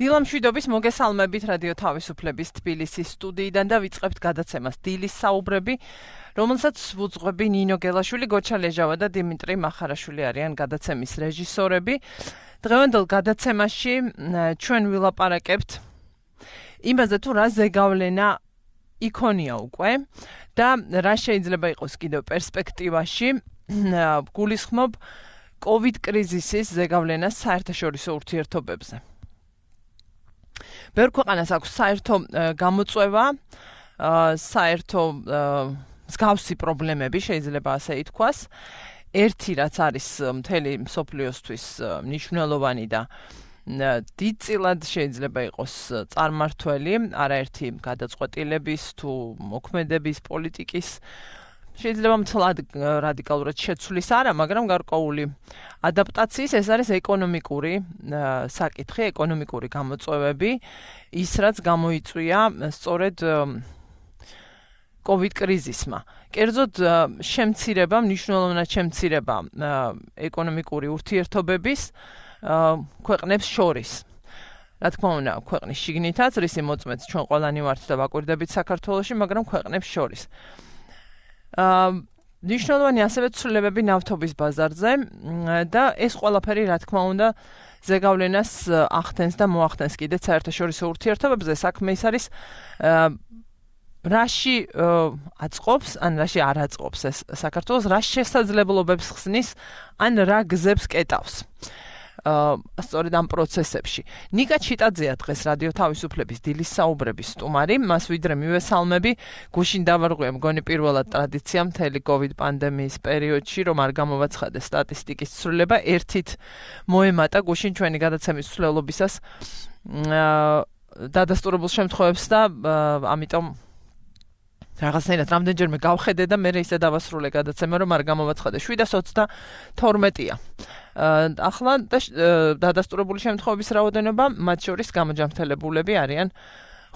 დილამშვიდობის მოგესალმებით რადიო თავისუფლების თბილისის სტუდიიდან და ვიწყებთ გადაცემას დილის საუბრები, რომელსაც ვუძღვები ნინო გელაშვილი, გოჩა ლეჟავა და დიმიტრი მახარაშვილი არიან გადაცემის რეჟისორები. დღევანდელ გადაცემაში ჩვენ ვილაპარაკებთ იმაზე თუ რა ზეგავლენა იქონია უკვე და რა შეიძლება იყოს კიდევ პერსპექტივაში. გულისხმობ COVID კრიზისის ზეგავლენას საერთაშორისო ურთიერთობებზე. ბევრ ქვეყანას აქვს საერთო გამოწვევა, საერთო მსგავსი პრობლემები, შეიძლება ასე ითქვას. ერთი რაც არის მთელი მსოფლიოსთვის მნიშვნელოვანი და დიდწილად შეიძლება იყოს წარმმართველი, არაერთი გადაწყვეტილების თუ მოქმედების პოლიტიკის შეიძლება მთლად რადიკალურად შეცვლის არა, მაგრამ გარკვეული ადაპტაციის ეს არის ეკონომიკური საკითხი, ეკონომიკური გამოწვევები, ის რაც გამოიწვია სწორედ COVID კრიზისმა. კერძოდ შემცირება, მნიშვნელოვნად შემცირება ეკონომიკური ურთიერთობების ქვეყნებს შორის. რა თქმა უნდა, ქვეყნის შიგნითაც, რისი მოწმეც ჩვენ ყველანი ვართ და ვაკვირდებით საქართველოში, მაგრამ ქვეყნებს შორის. ნიშნულოვანი ასევე ცვლილებები ნავთობის ბაზარზე და ეს ყველაფერი რა თქმა უნდა ზეგავლენას ახდენს და მოახდენს კიდეც საერთაშორისო ურთიერთობებზე. საქმე ის არის რაში აწყობს, ან რაში არ აწყობს ეს საქართველოს, რა შესაძლებლობებს ხსნის, ან რა გზებს კეტავს. სწორედ ამ პროცესებში. ნიკა ჩიტაძეა დღეს რადიო თავისუფლების დილის საუბრების სტუმარი, მას ვიდრე მივესალმები, გუშინ დავარღვია მგონი პირველად ტრადიცია მთელი COVID პანდემიის პერიოდში, რომ არ გამოვაცხადეს სტატისტიკის ცვლილება, ერთით მოემატა გუშინ ჩვენი გადაცემის ცვლილობისას დადასტურებულ შემთხვევებს და ამიტომ რაღაცნაირად რამდენჯერმე გავხედე და მე ისე დავასრულე გადაცემა, რომ არ გამოვაცხადე 722-ია. ახლა დადასტურებული შემთხვევების რაოდენობა, მათ შორის გამოჯამრთელებულები არიან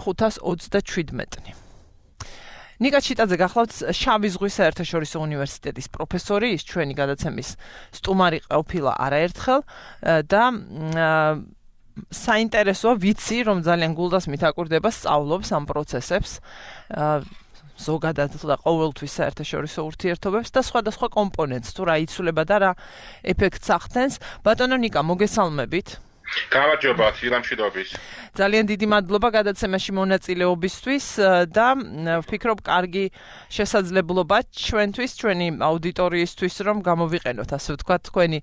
527-ნი. ნიკა ჩიტაძე გახლავთ შავი ზღვის საერთაშორისო უნივერსიტეტის პროფესორი, ის ჩვენი გადაცემის სტუმარი ყოფილა არაერთხელ და საინტერესოა, ვიცი, რომ ძალიან გულდასმით აკვირდება, სწავლობს ამ პროცესებს. ზოგადად და ყოველთვის საერთაშორისო ურთიერთობებს და სხვადასხვა კომპონენტს, თუ რა იცვლება და რა ეფექტს ახდენს. ბატონო ნიკა, მოგესალმებით. გამარჯობა, დილამშვიდობის. ძალიან დიდი მადლობა გადაცემაში მონაწილეობისთვის და ვფიქრობ, კარგი შესაძლებლობა ჩვენთვის, ჩვენი აუდიტორიისთვის, რომ გამოვიყენოთ, ასე ვთქვათ, თქვენი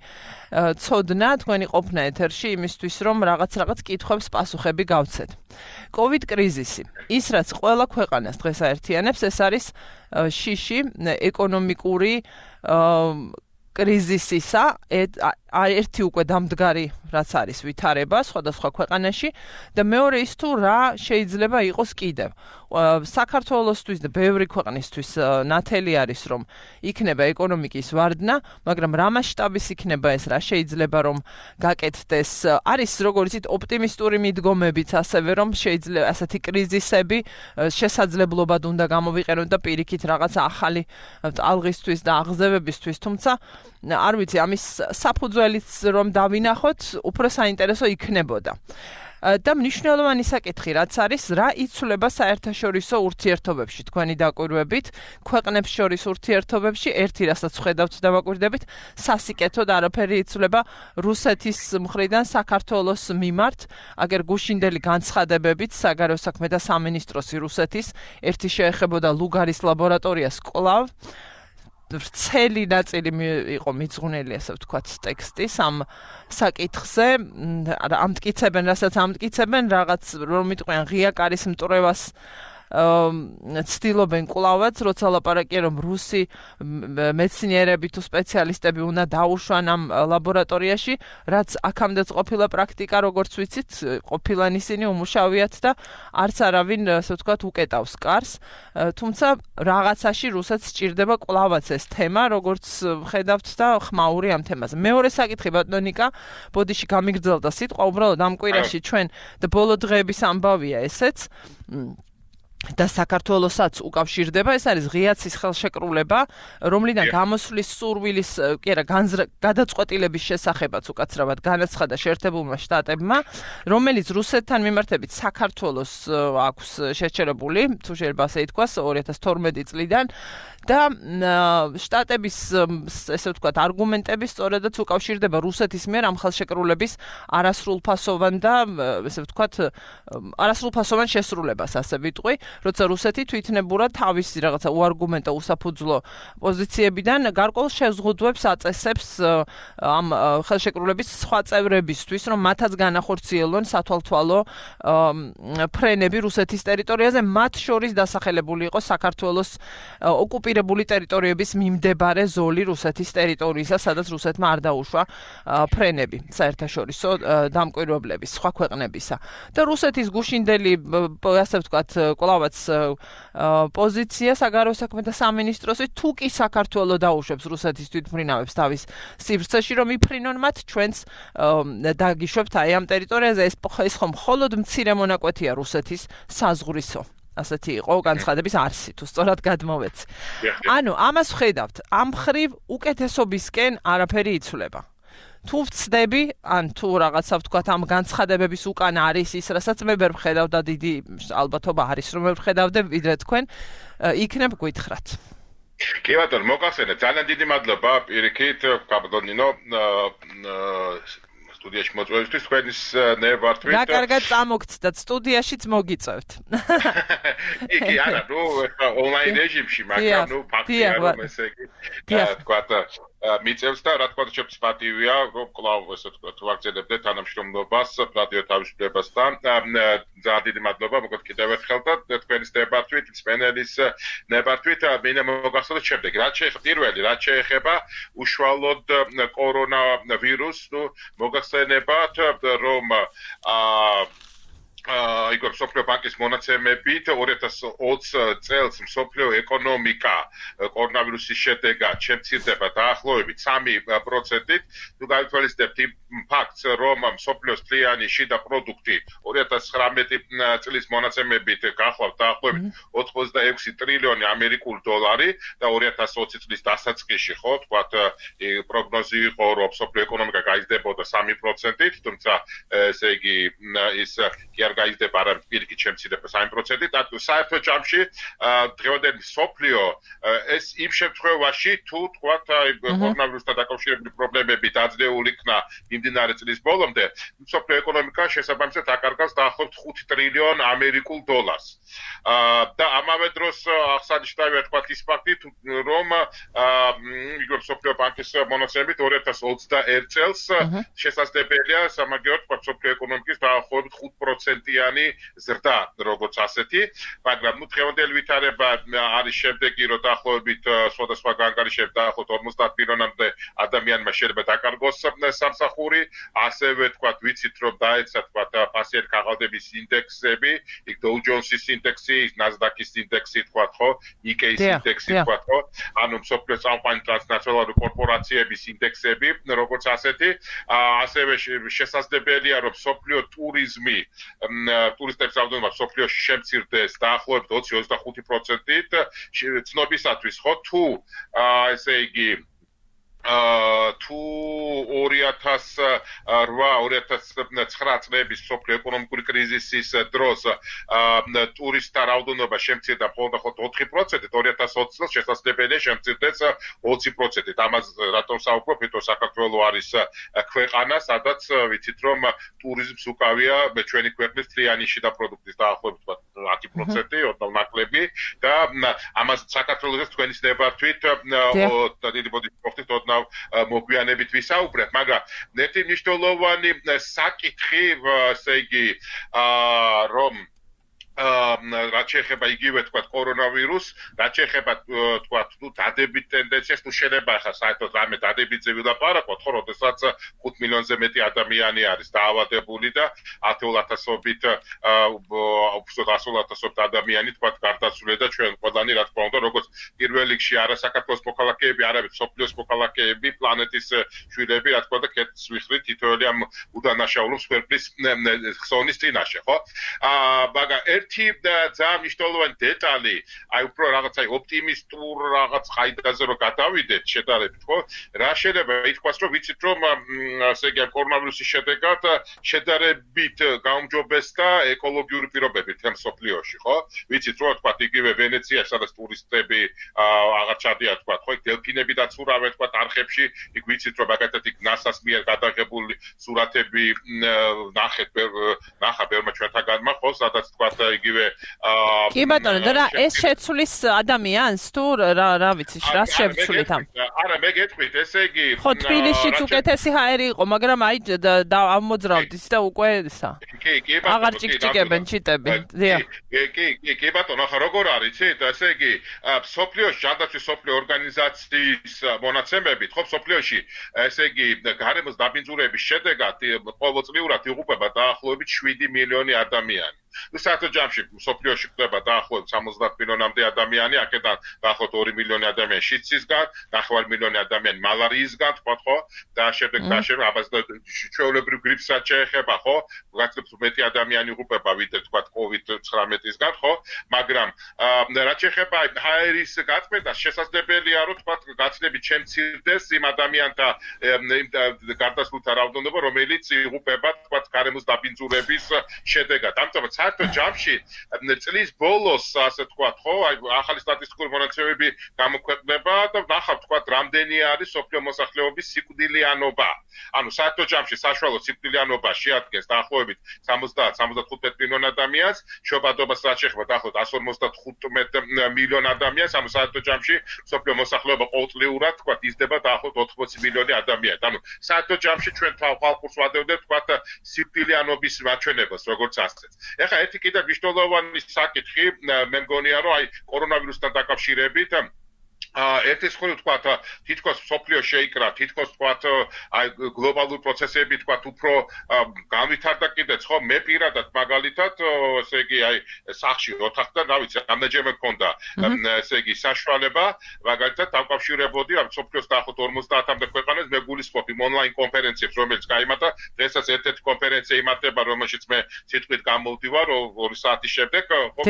ცოდნა, თქვენი ყოფნა ეთერში იმისთვის, რომ რაღაც კითხვებს პასუხები გავცეთ. COVID კრიზისი, ის რაც ყველა ქვეყანას დღეს აერთიანებს, ეს არის შიში ეკონომიკური კრიზისისა, ერთი უკვე დამდგარი რაც არის ვითარება სხვადასხვა ქვეყანაში და მეორე ის თუ რა შეიძლება იყოს კიდევ. საქართველოსთვის და ბევრი ქვეყნისთვის ნათელი არის, რომ იქნება ეკონომიკის ვარდნა, მაგრამ რა მასშტაბის იქნება ეს, რა შეიძლება რომ გაკეთდეს. არის როგორც იცით ოპტიმისტური მიდგომებიც ასევე, რომ შეიძლება ასეთი კრიზისები შესაძლებლობად უნდა გამოვიყენოთ და პირიქით რაღაც ახალი ალღისთვის და აღზევებისთვის, თუმცა არ ვიცი, ამის საფუძველიც რომ დავინახოთ, უფრო საინტერესო იქნებოდა. და მნიშვნელოვანი საკითხი რაც არის, რა იცვლება საერთაშორისო ურთიერთობებში, თქვენი დაკვირვებით, ქვეყნებს შორის ურთიერთობებში, ერთი რასაც ხედავთ და ვაკვირდებით, სასიკეთოდ არაფერი იცვლება რუსეთის მხრიდან საქართველოს მიმართ, აგერ გუშინდელი განცხადებებით საგარეო საქმეთა სამინისტროსი რუსეთის, ერთი შეეხებოდა ლუგარის ლაბორატორიას კვლავ ვრცელი ნაწილი იყო მიძღვნილი, ასე ვთქვათ, ტექსტის ამ საკითხზე, ამტკიცებენ, რასაც ამტკიცებენ, რაღაც რომ იტყვიან ღია კარის მტრევას ცდილობენ კვლავაც, როცა ლაპარაკია, რომ რუსი მეცნიერები თუ სპეციალისტები უნდა დაუშვან ამ ლაბორატორიაში, რაც აქამდეც ყოფილა პრაქტიკა, როგორც ვიცით, ყოფილან ისინი უმუშავიათ და არც არავინ, ასე ვთქვათ, უკეტავს კარს, თუმცა რაღაცაში რუსეთს სჭირდება კვლავაც ეს თემა, როგორც ხედავთ და ხმაური ამ თემაზე. მეორე საკითხი, ბატონო ნიკა, ბოდიში გამიგრძელდა სიტყვა, უბრალოდ ამ კვირაში ჩვენ და ბოლო დღეების ამბავია ესეც. და საქართველოსაც უკავშირდება, ეს არის ღიაცის ხელშეკრულება, რომლიდან გამოსვლის სურვილის, კი არა, გადაწყვეტილების შესახებაც უკაცრავად განაცხადა შეერთებულმა შტატებმა, რომელიც რუსეთთან მიმართებით საქართველოს აქვს შეჩერებული, თუ შეიძლება ასე ითქვას, 2012 წლიდან და შტატების ესე ვთქვათ არგუმენტები სწორედაც უკავშირდება რუსეთის მიერ ამ ხელშეკრულების არასრულფასოვან და ესე ვთქვათ არასრულფასოვან შესრულებას, ასე ვიტყვი, როცა რუსეთი თვითნებურად თავისი რაღაცა უარგუმენტო უსაფუძვლო პოზიციებიდან გარკვეულ შეზღუდვებს აწესებს ამ ხელშეკრულების სხვა წევრებისთვის, რომ მათაც განახორციელონ სათვალთვალო ფრენები რუსეთის ტერიტორიაზე, მათ შორის დასახელებული იყო საქართველოს ოკუპირებული ტერიტორიების მიმდებარე ზოლი რუსეთის ტერიტორიისა, სადაც რუსეთმა არ დაუშვა ფრენები საერთაშორისო დამკვირვებლების სხვა ქვეყნებისა. და რუსეთის გუშინდელი, ასე ვთქვათ, კვლავაც პოზიცია საგარეო საქმეთა სამინისტროსი, თუ კი საქართველო დაუშვებს რუსეთის თვითმფრინავებს თავის სივრცეში, რომ იფრინონ მათ, ჩვენც დაგიშვებთ აი ამ ტერიტორიაზე, ეს ხომ მხოლოდ მცირე მონაკვეთია რუსეთის საზღვრისო. ასეთი იყო განცხადების არსი, თუ სწორად გადმოვეცი. ანუ ამას ვხედავთ, ამ მხრივ უკეთესობისკენ არაფერი იცვლება. თუ ვცდები, ან თუ რაღაცა ვთქვათ ამ განცხადებების უკან არის ის, რასაც მე ვერ ვხედავ და დიდი ალბათობა არის, რომ მე ვხედავდე ვიდრე თქვენ, იქნებ გითხრათ. კი ბატონო, მოგახსენეთ, ძალიან დიდი მადლობა პირიქით, კაპიტანინო, სტუდიაში მოწვევისთვის, თქვენის ნებართვით. რა კარგად წამოგცდათ, სტუდიაშიც მოგიწევთ. კი, არა, ნუ ონლაინ რეჟიმში, მაგრამ ნუ ფაქტია, რომ ესე იგი, თქვათ, მიწევს და რა თქმა უნდა ჩემს პატივია, რომ კვლავ ესე ვთქვათ, ვაგრძელებდე თანამშრომლობას რადიო თავისუფლებასთან. ძალიან დიდი მადლობა, მოგეთ კიდევ ერთხელ და თქვენის ნებართვით, სპენელის ნებართვით, მინდა მოგახსოვოთ შემდეგი, რაც შეეხება უშუალოდ კორონავირუსს, ნუ მოგახსენებათ, რომ Igor Soflio Bankis მონაცემებით 2020 წელს მსოფლიო ეკონომიკა კორონავირუსის შედეგად შემცირდება დაახლოებით 3%-ით. თუ გავითვალისწინებთ იმ ფაქტს, რომ მსოფლიოს მთლიანი შიდა პროდუქტი 2019 წლის მონაცემებით გახლავთ დაახლოებით 86 ტრილიონი ამერიკული დოლარი და 2020 წლის დასაწყისში, ხო, თქვათ, პროგნოზი იყო, რომ მსოფლიო ეკონომიკა გაიზრდებოდა 3%-ით, თუმცა ესე იგი ის გაიზრდება არა პირიქით შემცირდება 3%-ით, და საერთო ჯამში დღევანდელი მსოფლიო ეს იმ შემთხვევაში, თუ თქვათ, კორონავირუსთან დაკავშირებული პრობლემები დაძლეულ იქნა მიმდინარე წლის ბოლომდე, მსოფლიო ეკონომიკა შესაბამისად აკარგავს დაახლოებით 5 ტრილიონ ამერიკულ დოლარს. და ამავე დროს აღსანიშნავია თქვათ ის ფაქტი, რომ იგივე მსოფლიო ბანკის მონაცემებით 2021 წელს შესაძლებელია სამაგიეროდ თქვათ მსოფლიო ეკონომიკის დაახლოებით 5%-იანი ზრდა, როგორც ასეთი, მაგრამ ნუ დღევანდელი ვითარება არის შემდეგი, რომ დაახლოებით სხვადასხვა განკარიშებით დაახლოებით 50 მილიონამდე ადამიანმა შეიძლება დაკარგოს სამსახური, ასევე თქვათ ვიცით, რომ დაეცა თქვათ ფასიერ ქაღალდების ინდექსები, იქ Dow Jones-ის ინდექსი, Nasdaq-ის ინდექსი თქვათ, ხო, Nikkei-ის ინდექსი თქვათ, ხო, ანუ მსოფლიო წამყვანი ტრანსნაციონალური კორპორაციების ინდექსები, როგორც ასეთი, ასევე შესაძლებელია, რომ მსოფლიო ტურიზმი ტურისტების რაოდენობა მსოფლიოში შემცირდეს დაახლოებით 20-25%-ით, ცნობისათვის, ხო, თუ ესე იგი თუ 2008-2009 წლების მსოფლიო ეკონომიკური კრიზისის დროს ტურისტთა რაოდენობა შემცირდა მხოლოდ 4%-ით, 2020 წელს შესაძლებელია შემცირდეს 20%-ით. ამას რატომ საუბრობ, იმიტომ საქართველო არის ქვეყანა, სადაც ვიცით, რომ ტურიზმს უკავია ჩვენი ქვეყნის მთლიანი შიდა პროდუქტის დაახლოებით 10%, ოდნავ ნაკლები და ამას საქართველოს თქვენის ნებართვით დიდი მოდით მოგვიანებით ვისაუბრებ, მაგრამ ერთი მნიშვნელოვანი საკითხი, ესე იგი, რომ რაც შეეხება იგივე თქვათ კორონავირუსს, რაც შეეხება თქვათ დადებით ტენდენციას, თუ შეიძლება ახლა საერთოდ რამე დადებითზე ვილაპარაკოთ, ხო, როდესაც 5 მილიონზე მეტი ადამიანი არის დაავადებული და 10,000-ობით უბრალოდ 100,000-ობით ადამიანი თქვათ გარდაცვლილი და ჩვენ ყველანი რა თქმა უნდა, როგორც პირველ რიგში არა საქართველოს მოქალაქეები, არამედ მსოფლიოს მოქალაქეები, პლანეტის შვილები, რა თქმა უნდა, კეთს ვიხდით თითოეული ამ უდანაშაულო მსხვერპლის ხსოვნის წინაშე, ხო? მაგრამ ერთი ძალიან მნიშვნელოვანი დეტალი, აი უფრო რაღაც აი ოპტიმისტურ რაღაც ყაიდაზე რომ გადავიდეთ შედარებით, ხო? რა შეიძლება ითქვას, რომ ვიცით, რომ ასე იგი კორონავირუსის შედეგად შედარებით გაუმჯობესდა ეკოლოგიური პირობები თემ სოფლიოში, ხო? ვიცით, რომ თქვა იგივე ვენეციაში, სადაც ტურისტები აღარ ჩადიან, თქვა, ხო, დელფინები დაცურავენ, თქვა, არხებში, იქ ვიცით, რომ მაგათაც იქ ნასას მიერ გადაღებული სურათები ნახა ბევრმა ჩვენთაგანმა, ხო, სადაც თქვა იგივე კი ბატონო, და ეს შეცვლის ადამიანს თუ რა ვიცი, რა შევცვლით ამ? არა, მე გეტყვით, ესე იგი ხო, თბილისშიც უკეთესი ჰაერი იყო, მაგრამ აი ამოძრავთ ის და უკვე ისა. კი, ბატონო. აღარ ჭიკჭიკებენ ჩიტები. დიახ. კი, ბატონო, ახლა როგორ არის, იცით? ესე იგი, სოფლიოში ჯანდაცვის სოფლიო ორგანიზაციის მონაცემებით, ხო, სოფლიოში, ესე იგი, გარემოს დაბინძურების შედეგად ყოველწლიურად იღუპება დაახლოებით 7 მილიონი ადამიანი. საერთო ჯამში სოფლიოში ხდება დაახლოებით 70 მილიონამდე ადამიანი, აქედან დაახლოებით 2 მილიონი ადამიანი შიდსისგან, 9 მილიონი ადამიანი მალარიისგან, ხო? და შემდეგ ჩვეულებრივ გრიპსაც შეეხება, ხო? გაცილებით მეტი ადამიანი იღუპება ვიდრე თქვა COVID-19-ისგან, ხო? მაგრამ რაც შეეხება ჰაერის გაწმენდას, შესაძლებელია რომ თქვა გაცილებით შემცირდეს იმ ადამიანთა გარდაცვლილთა რაოდენობა, რომელიც იღუპება თქვა გარემოს დაბინძურების შედეგად. ამიტომ საერთო ჯამში წლის ბოლოს ასე თქვა, ხო, აი ახალი სტატისტიკური მონაცემები გამოქვეყნდება და ნახავთ თქვა რამდენი არის სოფლიო მოსახლეობის სიკვდილიანობა. ანუ საერთო ჯამში საშუალო სიკვდილიანობა შეადგენს დაახლოებით 70-75 მილიონ ადამიანს, შობადობას რაც შეეხება დაახლოებით 155 მილიონ ადამიანს, ანუ საერთო ჯამში სოფლიო მოსახლეობა ყოველწლიურად თქვა იზრდება დაახლოებით 80 მილიონი ადამიანი. ანუ საერთო ჯამში ჩვენ ხალხურს ვადევდეთ თქვა სიკვდილიანობის მაჩვენებას, როგორც ასეც. ეხლა ერთი კიდევ მნიშვნელოვანი საკითხი, მე მგონია, რომ აი კორონავირუსთან დაკავშირებით ერთი მხრივ თქვა თითქოს სოფლიო შეიკრა, თითქოს თქვა აი გლობალური პროცესები თქვა უფრო განვითარდა კიდეც, ხო, მე პირადად მაგალითად, ესე იგი აი სახში ოთახთან, რა ვიცი, რამდენჯერმე მქონდა, ესე იგი საშუალება, მაგალითად დავკავშირებოდი ამ სოფლიოს დაახლოებით 50-მდე ქვეყანას, მე გულისხმობ იმ ონლაინ კონფერენციებს, რომელიც გაიმართა, დღესაც ერთ-ერთი კონფერენცია იმართება, რომელშიც მე სიტყვით გამოვდივარ 2 საათის შემდეგ, ხო,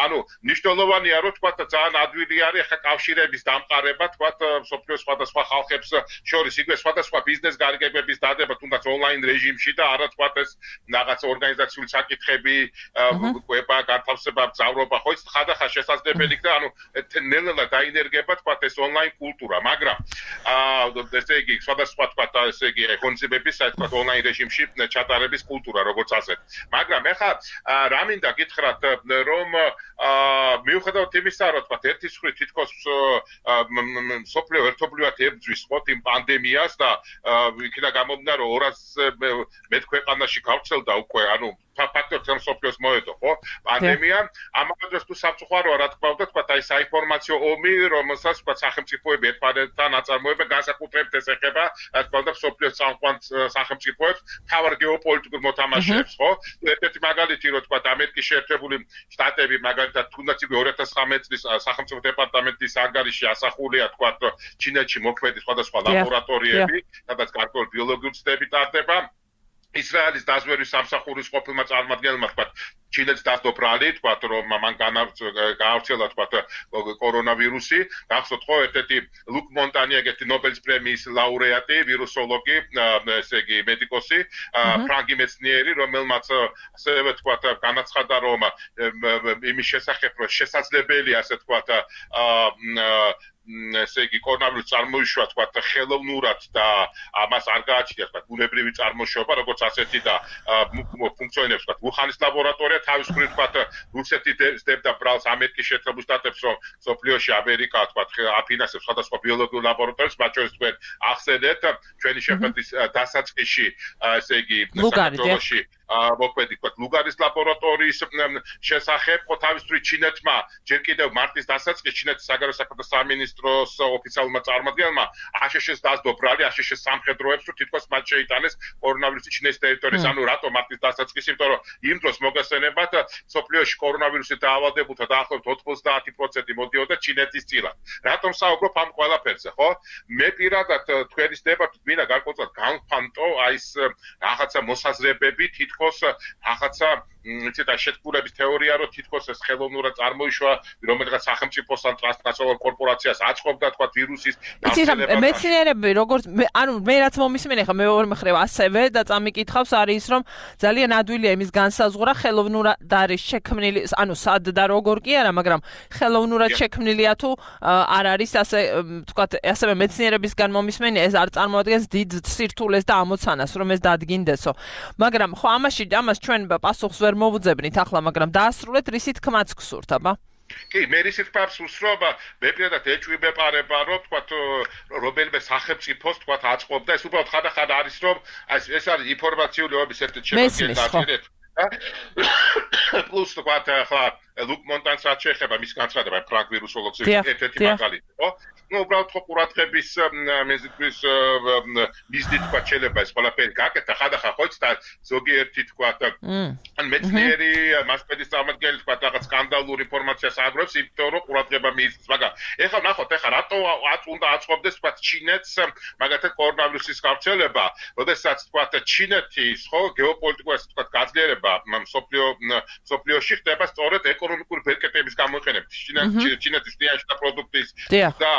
ანუ მნიშვნელოვანია, რომ თქვა ძალიან ადვილი არის ახლა კავშირების დამყარება, თქვა სოფლიოს სხვადასხვა ხალხებს შორის, იგივე სხვადასხვა ბიზნეს გარიგებების დადება, თუნდაც ონლაინ რეჟიმში და არა თქვა ეს რაღაც ორგანიზაციული საკითხები, კვება, განთავსება, მგზავრობა, ხო, ხადახარ შესაძლებელი და ანუ ნელ-ნელა დაინერგება თქვა ეს ონლაინ კულტურა, მაგრამ ესე იგი სხვადასხვა თქვა ესე იგი ღონისძიებების თქვა ონლაინ რეჟიმში ჩატარების კულტურა, როგორც ასეთ. მაგრამ ეხლა რა მინდა გითხრათ, რომ მიუხედავად იმისა, რომ თქვა ერთის მხრივ თითქოს სოფლიო ერთობლივად ებრძვის ხო იმ პანდემიას და იქიდან გამომდინარე 200 მეტ ქვეყანაში გავრცელდა უკვე, ანუ ფაქტორ თემ სოფლიოს მოედო, ხო? პანდემია, ამავდროულად თუ სამწუხაროა რა თქმა უნდა, თქვა აი საინფორმაციო ომი, რომელსაც თქვა სახელმწიფოები ერთმანეთთან აწარმოებენ, განსაკუთრებით ეს ეხება, რა თქმა უნდა, სოფლიოს წამყვან სახელმწიფოებს, მთავარ გეოპოლიტიკურ მოთამაშეებს, ხო? ერთ-ერთი მაგალითი, რომ თქვა ამერიკის შეერთებული შტატები, მაგალითად, თუნდაც იგივე 2019 წლის სახელმწიფო დეპარტამენტის ანგარიში ასახულია, თქვა ჩინეთში მოქმედი სხვადასხვა ლაბორატორიები, სადაც გარკვეული ბიოლოგიური ცდები ტარდება. ისრაელის დაზვერვის სამსახურის ყოფილმა წარმომადგენელმა თქვა ჩინეთს დასდო ბრალი, თქვა რომ მან გაავრცელა თქვა კორონავირუსი, გახსოვთ ხო ერთ-ერთი ლუკ მონტანი ეგეთი ნობელის პრემიის ლაურეატი, ვირუსოლოგი, ესე იგი მედიკოსი, ფრანგი მეცნიერი, რომელმაც ასევე თქვა განაცხადა რომ იმის შესახებ რომ შესაძლებელია ასე თქვა ესე იგი კორონავირუსი წარმოიშვა თქვა ხელოვნურად და ამას არ გააჩნია თქვა ბუნებრივი წარმოშობა, როგორც ასეთი და ფუნქციონირებს თქვა უხანის ლაბორატორია, თავის მხრივ თქვა რუსეთი ზდებდა ბრალს ამერიკის შეერთებულ შტატებს, რომ სოფლიოში ამერიკა თქვა აფინანსებს სხვადასხვა ბიოლოგიურ ლაბორატორიებს, მათ შორის თქვენ ახსენეთ ჩვენი შეხვედრის დასაწყისში, ესე იგი საქართველოში მოქმედი თქვა ლუგარის ლაბორატორიის შესახებ, ხო თავის მხრივ ჩინეთმა ჯერ კიდევ მარტის დასაწყისში ჩინეთის საგარეო საქმეთა სამინისტროს ოფიციალურმა წარმომადგენელმა აშშ-ს დასდო ბრალი აშშ-ის სამხედროებს, რომ თითქოს მათ შეიტანეს კორონავირუსი ჩინეთის ტერიტორიაზე. ანუ რატო მარტის დასაწყისში? იმიტომ რომ იმ დროს მოგესწრებათ სოფლიოში კორონავირუსით დაავადებულთა დაახლოებით 90% მოდიოდა ჩინეთის წილად. რატომ საუბრობ ამ ყველაფერზე, ხო? მე პირადად თქვენის დებატით მინდა გარკვეულად განვფანტო აი ეს რაღაცა მოსაზრებები, თითქოს თითქოს რაღაცა ცოტა შეთქმულების თეორია რომ თითქოს ეს ხელოვნურად წარმოიშვა რომელიღაც სახელმწიფოსთან ტრანსნაციონალურ კორპორაციას აწყობდა თქვა ვირუსის გავრცელებას. მეცნიერები როგორც ანუ მე რაც მომისმენ ახლა მეორე მხრივ ასევე და წამიკითხავს არის რომ ძალიან ადვილია იმის განსაზღვრა ხელოვნურად არის შექმნილი ანუ სად და როგორ კი არა მაგრამ ხელოვნურად შექმნილია თუ არ არის ასე თქვათ ასევე მეცნიერებისგან მომისმენია ეს არ წარმოადგენს დიდ სირთულეს და ამოცანას რომ ეს დადგინდესო მაგრამ ხო ამას ჩვენ პასუხს ვერ მოვუძებნით ახლა მაგრამ დაასრულეთ რისი თქმაც გსურთ აბა კი მე რისი თქმაც უსრობა მე პირადად ეჭვიბეპარება რომ თქვათ რომელიმე სახელმწიფოს თქვათ აწყობდა ეს უბრალოდ ხანდახან არის რომ ეს არის ინფორმაციული ომის ერთ-ერთი შემადგენელი პლუს თქვათ ახლა ლუკ მონტანს რაც შეეხება მის განცხადება ფრანგ ვირუსოლოგს ერთ-ერთი მაგალითი ხო ну უბრალოდ ხო ყურადღების მეზიდვის მიზნით თქვა შეიძლება ეს ყველაფერი გაკეთა ხანდახან ხო იცით ზოგიერთი თქვა ან მეცნიერი მასპედის წარმომადგენელი თქვა რაღაც სკანდალურ ინფორმაციას აგროვებს იმიტომ რომ ყურადღება მიიწევს მაგრამ ეხლა ნახოთ ეხლა რატო უნდა აწყობდეს თქვა ჩინეთს მაგათაც კორონავირუსის გავრცელება როდესაც თქვა ჩინეთის ხო გეოპოლიტიკური თქვა გაძლიერება სოფლიოში ხდება სწორედ ეკონომიკური ბერკეტების გამოყენებით ჩინეთის ტიაჟთა პროდუქტის და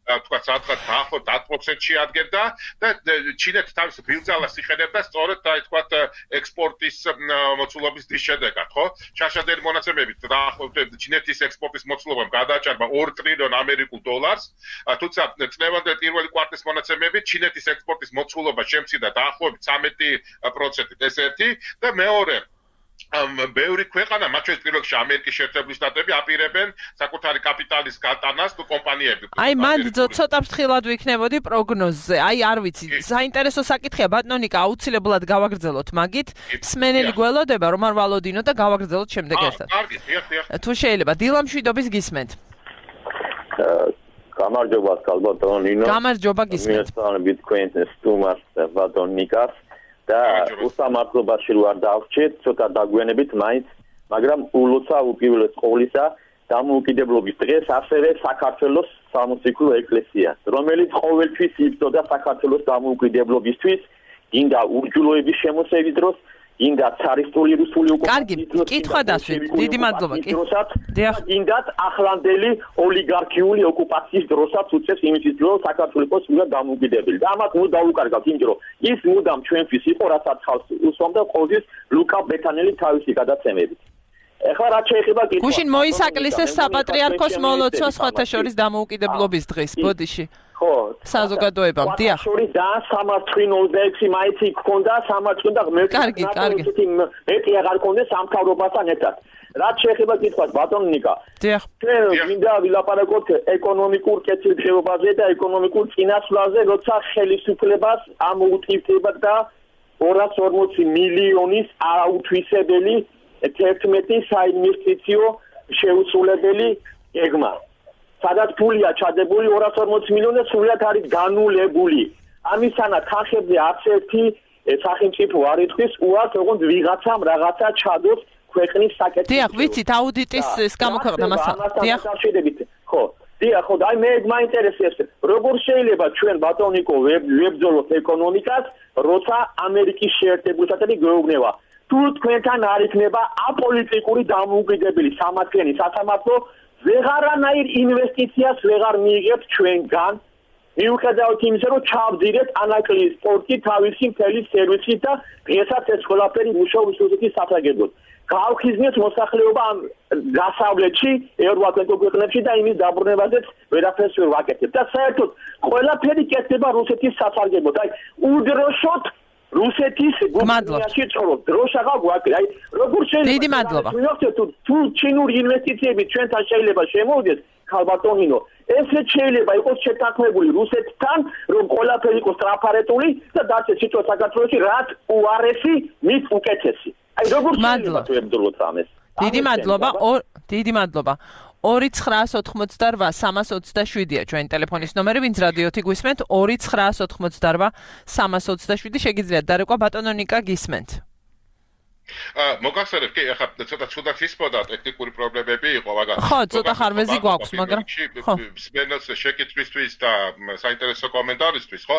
თქვა სადღაც დაახლოებით 10%-ში ადგენდა და ჩინეთი თავის ბილძალას იყენებდა სწორედ თქვა ექსპორტის მოცულობის დის შედეგად ხო შაშადელი მონაცემებით დაახლოებით ჩინეთის ექსპორტის მოცულობამ გადააჭარბა 2 ტრილიონ ამერიკულ დოლარს თუმცა წლევანდელი პირველი კვარტალის მონაცემებით ჩინეთის ექსპორტის მოცულობა შემცირდა დაახლოებით 13%-ით ეს ერთი და მეორე ბევრი ქვეყანა მათ შორის პირველ რიგში ამერიკის შეერთებული შტატები აპირებენ საკუთარი კაპიტალის გატანას თუ კომპანიები აი მან ცოტა ფრთხილად ვიქნებოდი პროგნოზზე აი არ ვიცი საინტერესო საკითხია ბატონიკა აუცილებლად გავაგრძელოთ მაგით სმენელი გველოდება რომ არ ვალოდინო და გავაგრძელოთ შემდეგ ერთად კარგი თუ შეიძლება დილა მშვიდობის გისმენთ გამარჯობა ალბათონ ნინო გამარჯობა გისმენთ მესწავლებით თქვენ სტუმარს ბატონიკას და უსამართლობაში არ დავჭეთ ცოტა დაგვიანებით მაინც მაგრამ ულოცა უპირველეს ყოვლისა დამოუკიდებლობის დღეს ასევე საქართველოს სამუსიკო ეკლესია რომელიც ყოველთვის იბრძოდა საქართველოს დამოუკიდებლობისთვის გინდა უჯულოების შემოსევის დროს გინდა цаრისტული რუსული ოკუპაციის დროს კითხვა დასვით დიდი მადლობა გინდათ ახლანდელი ოლიგარქიული ოკუპაციის დროსაც უწევს იმისთვის რომ საქართველოს იყოს უნდა დამოუკიდებელი და ამას ნუ დაუკარგავთ იმიტომ რომ ის მუდამ ჩვენთვის იყო რასაც ხალხს უსვამდა ყოველთვის ლუკა ბეთანელი თავისი გადაცემებით ეხლა რაც შეეხება კითხვა გუშინ მოისაკლისეს საპატრიარქოს მოლოცვა სხვათა შორის დამოუკიდებლობის დღის ბოდიში ხო საზოგადოებამ დიახ შორის და სამართლინო 26 მაიცი გქონდა სამართლინო და მე კარგი მეტი აღარ გქონდა სამთავრობასთან ერთად რაც შეეხება კითხვას ბატონიკა დიახ ჩვენ მინდა ვილაპარაკოთ ეკონომიკურ კეთილდღეობაზე და ეკონომიკურ წინასვლაზე როცა ხელისუფლებას ამოუტკივდება და 240 მილიონის აუთვისებელი 11 საინვესტიციო შეუსრულებელი გეგმა სადაც ფულია ჩადებული 240 მილიონი სულად არის განულებული ამისთანავ ხალხებზე არც ერთი სახელმწიფო არ ითქვის უარს ოღონდ ვიღაცამ რაღაცა ჩადოს ქვეყნის საკეთილო დიახ ვიცით აუდიტის ეს გამოქვეყნდა მასა დიახ ხო დიახ ხო აი მე მაინტერესებს როგორ შეიძლება ჩვენ ბატონიკო ვებძოლოთ ეკონომიკას როცა ამერიკის შეერთებული შტატები გვეუბნება თუ თქვენთან არ იქნება აპოლიტიკური დამოუკიდებელი სამართლიანი სასამართლო ვეღარანაირ ინვესტიციას ვეღარ მიიღებთ ჩვენგან მიუხედავად იმისა რომ ჩავდირეთ ანაკლიის სპორტი თავისი მთელი სერვისით და დღესაც ეს ყველაფერი მუშაობს რუსეთის სასარგებლოდ გავხიზნეთ მოსახლეობა ამ დასავლეთში ევროატლანტიკურ ქვეყნებში და იმის დაბრუნებაზეც ვერაფერს ვერ ვაკეთებ და საერთოდ ყველაფერი კეთდება რუსეთის სასარგებლოდ აი უდროშოთ რუსეთის გუბერნიაში წორობ დროშაღა გვაქვს აი როგორ შეიძლება დიდი მადლობა თუ ჩინური ინვესტიციები ჩვენთან შეიძლება შემოვიდეს ხალბატონინო ესეც შეიძლება იყოს შეთანხმებული რუსეთთან რომ ყველაფერი იყოს ტრაფარეტული და დაცეთ სიტყვა საქართველოში რაც უარესი მის უკეთესი აი როგორ შეიძლება თუ ებრძოლოთ ამას დიდი მადლობა 2988-327-ია ჩვენი ტელეფონის ნომერი, ვინც რადიოთი გვისმენთ 2988-327 შეგიძლიათ დარეკვა ბატონო ნიკა გისმენთ. მოგახსენებ, კი, ახლა ცოტა ცუდად ისმოდა ტექნიკური პრობლემები იყო, მაგრამ ხო, ცოტა ხარვეზი გვაქვს, მაგრამ ხო. სპენელს შეკითხვისთვის და საინტერესო კომენტარისთვის, ხო?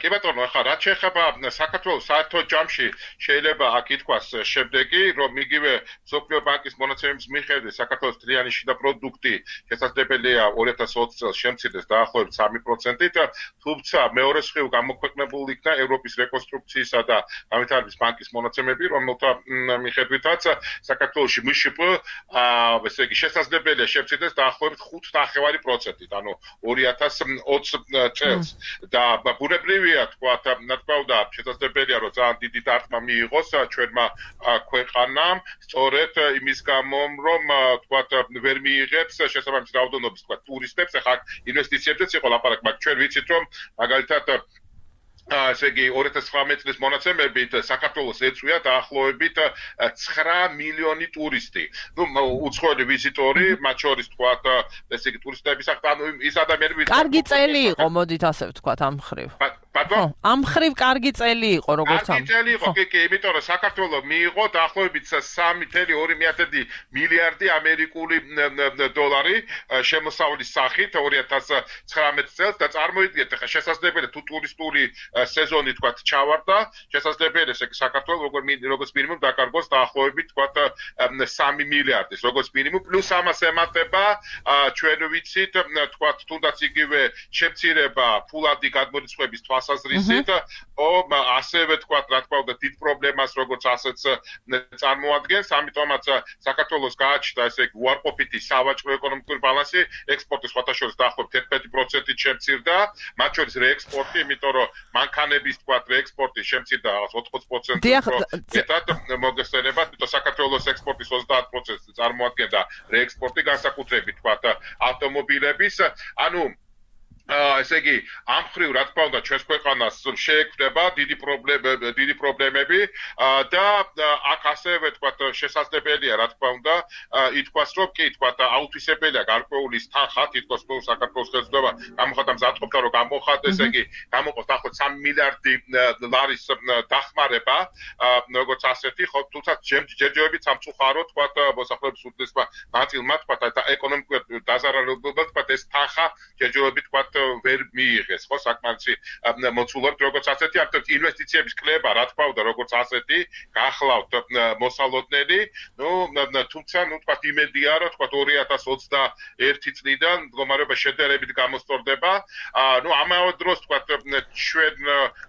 კი ბატონო, ახლა რაც შეეხება საქართველოს საერთო ჯამში შეიძლება აქ ითქვას შემდეგი, რომ იგივე მსოფლიო ბანკის მონაცემების მიხედვით საქართველოს თლიანი შიდა პროდუქტი შესაძლებელია 2020 წელს შემცირდეს დაახლოებით 3%-ით, თუმცა მეორე მხრივ გამოქვეყნებული იქნა ევროპის რეკონსტრუქციისა და განვითარების ბანკის მონაცემები, რომელთა მიხედვითაც საქართველოში მშპ ესე იგი შესაძლებელია შემცირდეს დაახლოებით 5.5%-ით, ანუ 2020 წელს და ბუნებრივია თქვა, რა თქმა უნდა, შესაძლებელია რომ ძალიან დიდი დარტყმა მიიღოს ჩვენმა ქვეყანამ, სწორედ იმის გამო, რომ თქვა ვერ მიიღებს შესაბამის რაოდენობის თქვა ტურისტებს, ახლა ინვესტიციებზეც იყო ლაპარაკი, მაგრამ ჩვენ ვიცით რომ მაგალითად ესე იგი 2019 წლის მონაცემებით საქართველოს ეწვია დაახლოებით 9 მილიონი ტურისტი. უცხოელი ვიზიტორი, მათ შორის თქვა, ესე იგი ტურისტების ახლა ის ადამიანები კარგი წელი იყო, მოდით ასე ვთქვათ ამ მხრივ. ბატონო, ამ მხრივ კარგი წელი იყო, როგორც ამ. კარგი წელი იყო, კი, იმიტომ რომ საქართველოს მიიღო დაახლოებით 3.2 მილიარდი ამერიკული დოლარი შემოსავლის სახით 2019 წელს და წარმოიდგინეთ, ახლა შესაძლებელია თუ ტურისტული სეზონი თქვა ჩავარდა, შესაძლებელია ესე საქართველოს როგორც მინიმუმ დაკარგოს დაახლოებით თქვა 3 მილიარდის, როგორც მინიმუმ, პლუს ამას ემატება ჩვენ ვიცით, თქვა თუნდაც იგივე შემცირება ფულადი გადმორიცხვების თვალსაზრისით, ასევე თქვა, რა თქმა უნდა, დიდ პრობლემას როგორც ასეც წარმოადგენს, ამიტომაც საქართველოს გააჩნდა ესე იგი უარყოფითი სავაჭრო ეკონომიკური ბალანსი, ექსპორტი სხვათა შორის დაახლოებით 11%-ით შემცირდა, მათ შორის რეექსპორტი, იმიტომ რომ მანქანების თქვა რეექსპორტი შემცირდა 80%-ით, მეტად მოგესწრებათ, იმიტომ საქართველოს ექსპორტის 30%-ს წარმოადგენდა რეექსპორტი, განსაკუთრებით თქვა ავტომობილების, ანუ ესე იგი, ამ მხრივ, რა თქმა უნდა, ჩვენს ქვეყანას შეექმნება დიდი პრობლემები და აქ ასევე თქვა შესაძლებელია, რა თქმა უნდა, ითქვას, რომ კი, თქვა აუთვისებელია გარკვეული თანხა, თითქოს საქართველოს ხელისუფლება გამოხატა მზადყოფდა, რომ გამოხატ, ესე იგი, გამოყოს დაახლოებით 3 მილიარდი ლარის დახმარება, როგორც ასეთი, ხო, თუმცა ჯერჯერობით სამწუხარო, თქვა მოსახლეობის უდიდესმა ნაწილმა, თქვა და ეკონომიკურად დაზარალებულად, თქვა ეს თანხა ჯერჯერობით, თქვა ვერ მიიღეს, ხო, საკმარისი მოცულობთ, როგორც ასეთი, ამიტომ ინვესტიციების კლება, რა თქმა უნდა, როგორც ასეთი, გახლავთ მოსალოდნელი, თუმცა, თქვა იმედია, რომ თქვა 2021 წლიდან მდგომარეობა შედარებით გამოსწორდება, ამავე დროს, თქვა, ჩვენ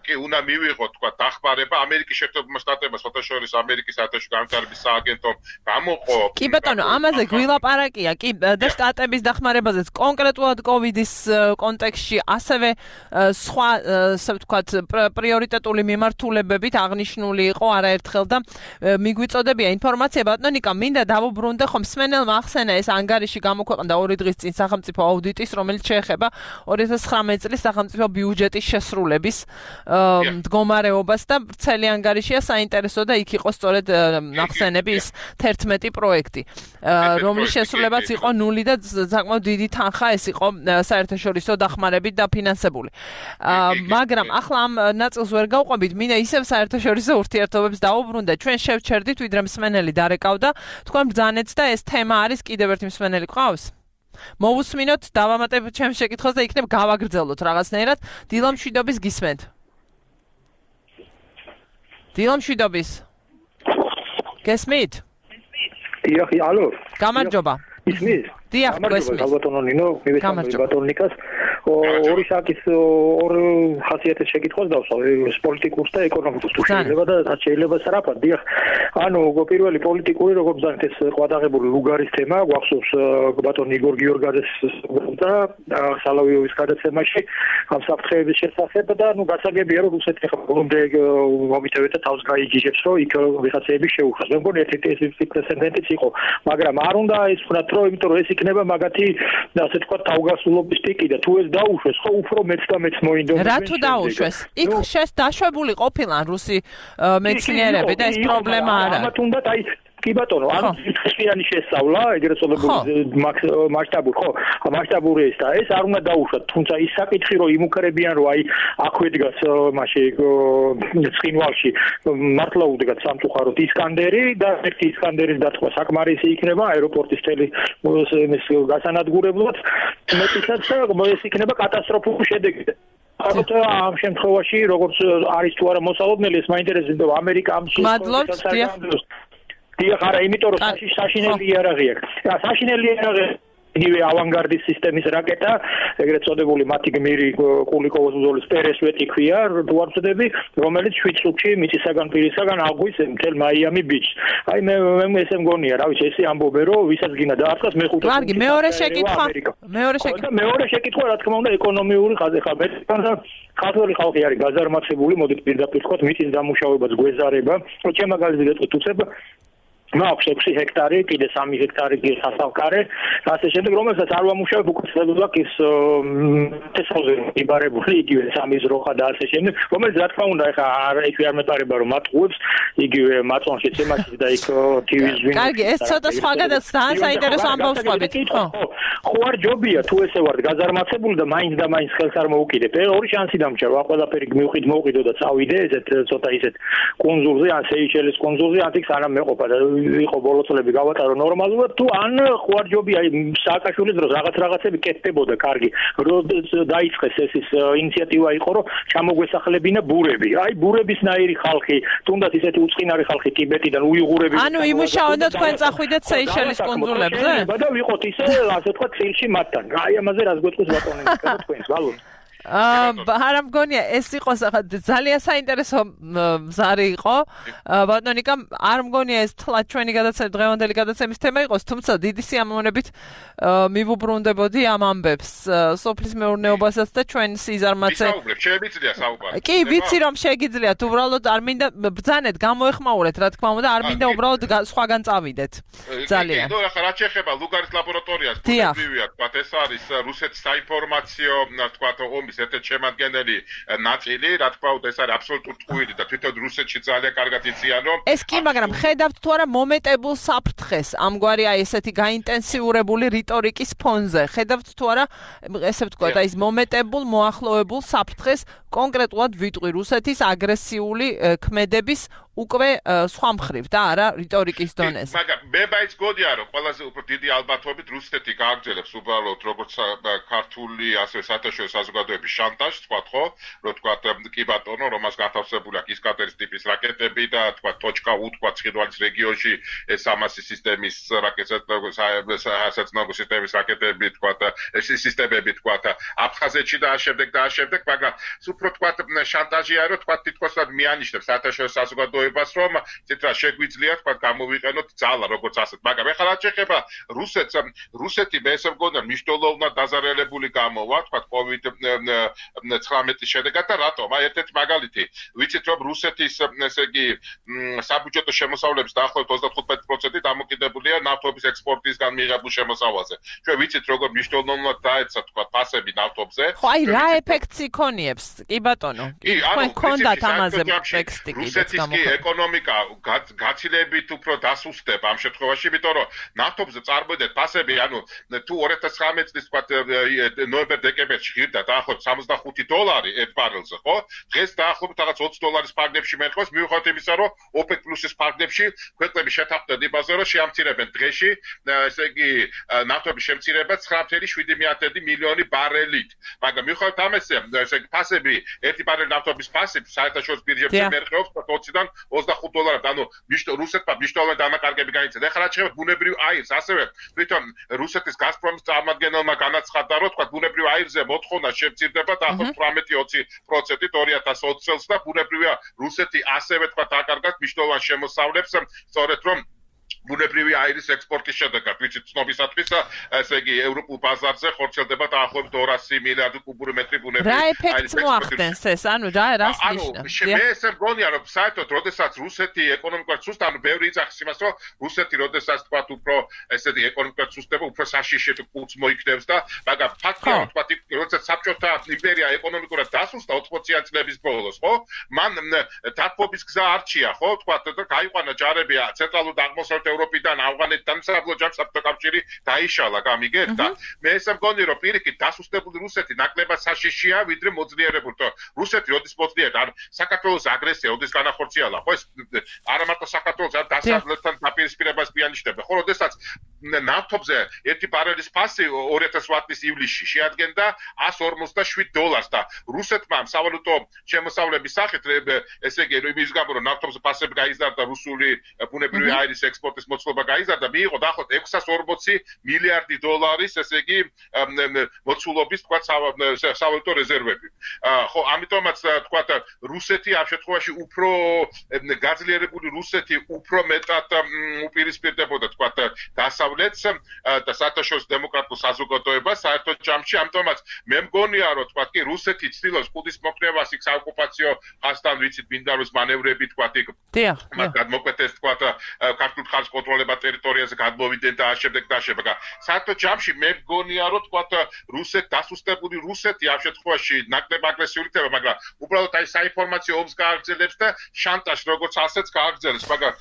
კი უნდა მივიღოთ, თქვა, დახმარება ამერიკის შეერთებულმა შტატებმა, შორის ამერიკის საერთაშორისო განვითარების სააგენტომ გამოყო. კი ბატონო, ამაზე გვილაპარაკია, კი და შტატების დახმარებაზეც კონკრეტულად კოვიდის კონტექსტში ასევე სხვა, ასე ვთქვათ, პრიორიტეტული მიმართულებებით აღნიშნული იყო არაერთხელ და მიგვიწოდებია ინფორმაცია, ბატონო ნიკა, მინდა დავუბრუნდე, ხომ მსმენელმა ახსენა ეს ანგარიში გამოქვეყნდა 2 დღის წინ სახელმწიფო აუდიტის, რომელიც შეეხება 2019 წლის სახელმწიფო ბიუჯეტის შესრულების მდგომარეობას და ვრცელი ანგარიშია საინტერესო და იქ იყო სწორედ ახსენები ის 11 პროექტი, რომლის შესრულებაც იყო 0 და საკმაოდ დიდი თანხა ეს იყო საერთაშორისო დახმარებით დაფინანსებული. მაგრამ ახლა ამ ნაწილს ვერ გავყვებით, მინდა ისევ საერთაშორისო ურთიერთობებს დავუბრუნდე. ჩვენ შევჩერდით, ვიდრე მსმენელი დარეკავდა, თქვენ ბრძანეთ და ეს თემა არის კიდევ ერთი მსმენელი ყავს? მოვუსმინოთ, დავამატებთ ჩემს შეკითხვას და იქნებ გავაგრძელოთ რაღაცნაირად. დილა მშვიდობის გისმენთ. დილა მშვიდობის. გესმით? დიახ, ალო. გამარჯობა. ისმის? დიახ, გესმით. ბატონო ნინო, მივესალმები ბატონ ნიკას. ორი საკის ორ ხასიათის შეკითხვას დავსვავ, პოლიტიკურს და ეკონომიკურს თუ შეიძლება და რაც შეიძლება სარაფად. დიახ. ანუ პირველი პოლიტიკური, როგორც ზანეთ ეს ყვადაღებული ლუგარის თემა, გვახსოვს ბატონ იგორ გიორგაძეს და სალავიოვის გადაცემაში ამ საფრთხეების შესახებ და ნუ გასაგებია რომ რუსეთი ხა ბოლომდე მომიტევეთ და თავს გაიგიჟებს რომ იქ ვიღაცები შეუხას. მე მგონი ეს პრეცედენტიც იყო, მაგრამ არ უნდა ეს ვთქვათ რომ იმიტომ რომ ეს იქნება მაგათი ასე ვთქვათ თავგასულობის ტიკი და თუ ეს დაუშვეს, ხო უფრო მეც და მეც მოინდომს. რა თუ დაუშვეს? იქ შეს დაშვებული ყოფილან რუსი მეცნიერები და ეს პრობლემა არ არის. თუნდაც აი კი ბატონო, ანუ ხშირანი შესწავლა, ეგრეთ წოდებული მასშტაბური, ხო, მასშტაბური ეს და ეს არ უნდა დაუშვათ, თუმცა ის საკითხი რომ იმუქრებიან რომ აი აქვე დგას მაშინ ცხინვალში მართლა უდგათ სამწუხაროდ ისკანდერი და ერთი ისკანდერის დათქვა საკმარისი იქნება აეროპორტის თელი ეს გასანადგურებლად მეტისაც ეს იქნება კატასტროფული შედეგი. ამ შემთხვევაში როგორც არის თუ არა მოსალოდნელი ეს მაინტერესებს ამერიკა ამ მადლობთ დიახ არა იმიტომ რომ საშინელი იარაღი აქვს საშინელი იარაღი იგივე ავანგარდის სისტემის რაკეტა ეგრეთ წოდებული მათი გმირი კულიკოვოს ბრძოლის პერესვეტი ქვია თუ არ ვწდები რომელიც 7 წუთში მიწისაგან პირისაგან აღვის მთელ მაიამი ბიჩს აი მე ესე მგონია რა ვიცი ესე ამბობენ რომ ვისაც გინდა დაარტყას მეხუთე კარგი მეორე შეკითხვა რა თქმა უნდა ეკონომიური ხაზი ხა ქართველი ხალხი არის გაზარმაცებული მოდით პირდაპირ ვთქვათ მიწის დამუშავებაც გვეზარება ჩემ მაგალითად გეტყვით უცებ მაქვს 6 ჰექტარი, კიდე 3 ჰექტარი გასავკარე, ასე შემდეგ, რომელსაც არ ვამუშავებ უკეთესად ის თესავზე იბარებული იგივე სამის როხა და ასე შემდეგ, რომელიც რა თქმა უნდა ეხა არ მეტარება რომ მატყუებს, იგივე მაწონში ცემაში და იქ ტივის ვინ. კარგი, ეს ცოტა სხვაგანაც ძალიან საინტერესო ამბავს ყვებით. ხო არ ჯობია თუ ესე ვარ გაზარმაცებული და მაინც და მაინც ხელს არ მოუკიდებ. ორი შანსი დამჭირ, ყველაფერი მოვყიდო და წავიდე ესეთ ცოტა ისეთ კონზულზე, ან სეიშელის კონზულზე, ან იქ სანამ მეყოფა და იყო ბოლო წლები გავატარო ნორმალურად თუ ან ხوارჯობია სააკაშვილის დროს რაღაცები კეთდებოდა კარგი დაიწყეს ეს ინიციატივა იყო რომ ჩამოგვესახლებინა ბურები აი ბურებისნაირი ხალხი თუნდაც ისეთი უწყინარი ხალხი ტიბეტიდან უიღურები ანუ იმუშაოთ თქვენ წახვიდეთ სეიშელის კონზულებზე და ვიყოთ ისე ასე თქვა წილში მათთან აი ამაზე რას გვეტყვის ბატონი თქვენს გალოთ არა მგონია ეს იყო ძალიან საინტერესო ზარი იყო ბატონიკა არ მგონია ეს თლად ჩვენი გადაცემა დღევანდელი გადაცემის თემა იყოს თუმცა დიდი სიამოვნებით მივუბრუნდებოდი ამ ამბებს სოფლის მეურნეობასაც და ჩვენ სიზარმაცე კი ვიცი რომ შეგიძლიათ უბრალოდ არ მინდა ბრძანეთ გამოეხმაურეთ რა თქმა უნდა არ მინდა უბრალოდ სხვაგან წავიდეთ ძალიან კი ახლა რა შეეხება ლუგარის ლაბორატორიას ბუნებრივია თქვა ეს არის რუსეთის საინფორმაციო თქვა ომის ერთ-ერთი შემადგენელი ნაწილი, რა თქმა უნდა, ეს არის აბსოლუტურ ტყუილი და თვითონ რუსეთში ძალიან კარგად იციან, რომ ეს კი, მაგრამ ხედავთ თუ არა მომენტებულ საფრთხეს, ამგვარი აი ესეთი გაინტენსიურებული რიტორიკის ფონზე. ხედავთ თუ არა, ესე ვთქვათ, აი ეს მომენტებულ მოახლოებულ საფრთხეს კონკრეტულად ვიტყვი რუსეთის აგრესიული ქმედების უკვე სხვა მხრივ და არა რიტორიკის დონეზე. მაგრამ მე მაინც გონია რომ ყველაზე უფრო დიდი ალბათობით რუსეთი გააგრძელებს უბრალოდ როგორც ქართული ასე საერთაშორისო საზოგადოების შანტაჟს, თქვა ხო, რომ თქვა კი ბატონო, რომ მას გათავსებული აქვს ისკანდერის ტიპის რაკეტები და თქვა .U თქვა ცხინვალის რეგიონში ეს სამასი სისტემის რაკეტების სისტემის რაკეტები თქვა ეს სისტემები თქვა აფხაზეთში და ამავდროულად და ამავდროულად, მაგრამ უფრო თქვა შანტაჟია რომ თქვა თითქოს მიანიშნებს საერთაშორისო საზოგადოებას რომ ცეტრა შეგვიძლია თქვა გამოვიყენოთ ძალა როგორც ასეთ მაგრამ ეხლა რა შეეხება რუსეთი მე ესე მგონია მნიშვნელოვნად დაზარალებული გამოვა თქვა COVID-19 შედეგად და რატომ აი ერთ-ერთი მაგალითი ვიცით რომ რუსეთის ესე იგი საბუჯეტო შემოსავლების დაახლოებით 35% დამოკიდებულია ნავთობის ექსპორტისგან მიღებულ შემოსავალზე ჩვენ ვიცით როგორ მნიშვნელოვნად დაეცა თქვა ფასები ნავთობზე ხო აი რა ეფექტს იქონიებს კი ბატონო თქვენ გქონდათ ამაზე ტექსტი კიდეც გამოხატული ეკონომიკა გაცილებით უფრო დასუსტება ამ შემთხვევაში, იმიტომ რომ ნავთობზე წარმოედეთ ფასები, ანუ თუ 2019 წლის თქვა ნოემბერ-დეკემბერში ღირდა დაახლოებით $65 ერთ ბარელზე, ხო? დღეს დაახლოებით რაღაც $20 ფარგლებში მერყევს, მიუხედავად იმისა, რომ OPEC პლუსის ფარგლებში ქვეყნები შეთანხმდნენ იმაზე, რომ შეამცირებენ დღეში, ესე იგი ნავთობის შემცირება 9.7 მილიონი ბარელით. მაგრამ მიუხედავად ამისა, ესე იგი ფასები, ერთი ბარელი ნავთობის ფასი საერთაშორისო ბირჟებზე მერყევს $20-დან $25, ანუ რუსეთმა მნიშვნელოვანი დანაკარგები გაიცედა. ეხლა რა შეეხება ბუნებრივ აირს, ასევე თვითონ რუსეთის გაზპრომის წარმომადგენელმა განაცხადა, რომ თქვა ბუნებრივ აირზე მოთხოვნა შემცირდება დაახლოებით 18-20%-ით 2020 წელს და ბუნებრივია რუსეთი ასევე თქვა აკარგავს მნიშვნელოვან შემოსავლებს, სწორედ რომ ბუნებრივი აირის ექსპორტის შედეგად, ვიცით ცნობისათვის, ესე იგი ევროპულ ბაზარზე ხორციელდება დაახლოებით 200 მილიარდი კუბური მეტრი ბუნებრივი აირის. რა ეფექტს მოახდენს ეს? ანუ რას ნიშნავს? მე ესე მგონია, რომ საერთოდ როდესაც რუსეთი ეკონომიკურად სუსტ, ანუ ბევრი იძახის იმას, რომ რუსეთი როდესაც თქვა უფრო ესეთი ეკონომიკურად სუსტდება, უფრო საშიშეთ კუც მოიქნევს და მაგრამ ფაქტია, რომ თქვა როცა საბჭოთა იმპერია ეკონომიკურად დასუსტა 80-იან წლების ბოლოს, ხო? მან დათბობის გზა არჩია, ხო? თქვა და გაიყვანა ჯარები ცენტრალურ და აღმოსავლეთ ევროპიდან, ავღანეთიდან, საბჭოთა კავშირი დაიშალა, გამიგეთ და მე ესე მგონი რომ პირიქით დასუსტებული რუსეთი ნაკლებად საშიშია, ვიდრე მოძლიერებული. რუსეთი როდის მოძლიერდა, ან საქართველოს აგრესია როდის განახორციელა, ხო? ეს არა მარტო საქართველოს დასავლეთთან დაპირისპირებას მიანიშნებდა, ხო? როდესაც ნავთობზე ერთი ბარელის ფასი 2008 წლის ივლისში შეადგენდა $157 და რუსეთმა სავალუტო შემოსავლების სახით, ესე იგი, იმის გამო რომ ნავთობზე ფასები გაიზარდა, რუსული ბუნებრივი აირის ექსპორტის მოცულობა გაიზარდა, მიიღო დაახლოებით $640 მილიარდი, ესე იგი, მოცულობის, თქვა, სავალუტო რეზერვები. ხო, ამიტომაც თქვა, რუსეთი ამ შემთხვევაში უფრო გაძლიერებული რუსეთი უფრო მეტად უპირისპირდებოდა, თქვა, დასავლეთს და საერთაშორისო დემოკრატიულ საზოგადოებას საერთო ჯამში, ამიტომაც მე მგონია, რომ თქვა, კი რუსეთი ცდილობს კუდის მოქმედებას იქ საოკუპაციო ხაზთან ვიცით მინდაროს მანევრები, თქვა, იქ მათ გადმოკვეთეს, თქვა, ქართულ ხარჯს კონტროლება ტერიტორიაზე გადმოვიდნენ და შემდეგ და შემდეგ. საერთო ჯამში მე მგონია, რომ თქვა, დასუსტებული რუსეთი ამ შემთხვევაში ნაკლებ აგრესიული ხდება, მაგრამ უბრალოდ აი საინფორმაციო ომს გააგრძელებს და შანტაჟს როგორც ასეც გააგრძელებს, მაგრამ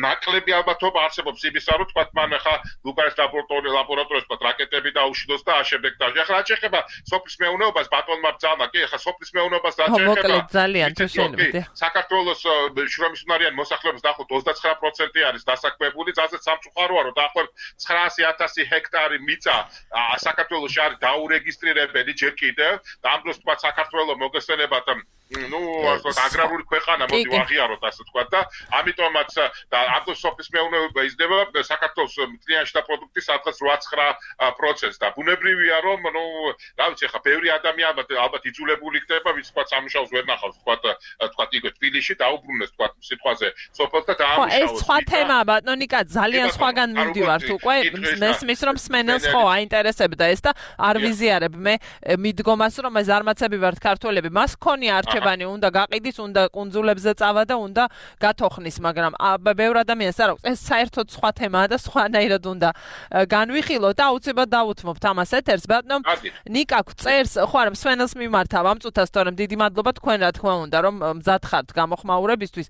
ნაკლები ალბათობა არსებობს იმისა, რომ თქვა, მან ახლა ლუკაის ლაბორატორიას თქვა, რაკეტები დაუშიდოს და შემდეგ და ახლა რა შეეხება სოფლის მეურნეობას, ბატონმა ბრძანა, კი, ახლა სოფლის მეურნეობას რა შეეხება ძალიან თუ შეიძლება. საქართველოს შრომის უნარიანი მოსახლეობის დაახლოებით 29% არის დასაქმებული, ძალზედ სამწუხაროა, რომ დაახლოებით 900,000 ჰექტარი მიწა საქართველოში არის დაურეგისტრირებელი ჯერ კიდევ და ამ დროს თქვა საქართველოს მოგესწრებათ აგრარული ქვეყანა მოდი ვაღიაროთ ასე თქვა და ამიტომაც და ამ დროს სოფლის მეურნეობა იზრდება საქართველოს მთლიანი შტა პროდუქტის სადღაც 8-9% და ბუნებრივია რომ რა ვიცი ხა ბევრი ადამიანი ალბათ იძულებული იქნება ვინც თქვა სამუშაოს ვერ ნახავს თქვა იგივე თბილისში დაუბრუნდეს თქვა სიტყვაზე სოფელთა და ამუშავოს. ეს სხვა თემაა ბატონიკა, ძალიან სხვაგან მივდივართ უკვე მესმის რომ სმენელს ხო აინტერესებდა ეს და არ ვიზიარებ მე მიდგომას რომ ეს არმაცები ვართ ქართველები, მას ქონია არჩევანი, უნდა გაყიდის, უნდა კუნძულებზე წავა და უნდა გათოხნის, მაგრამ ბევრ ადამიანს არ აქვს. ეს საერთოდ სხვა თემაა და სხვანაირად უნდა განვიხილოთ და აუცილებლად დავუთმობთ ამას ეთერს. ბატონო ნიკა წერს, ხო არა, სვენელს მიმართავ ამ წუთას, თორემ დიდი მადლობა თქვენ რა თქმა უნდა, რომ მზად ხართ გამოხმაურებისთვის.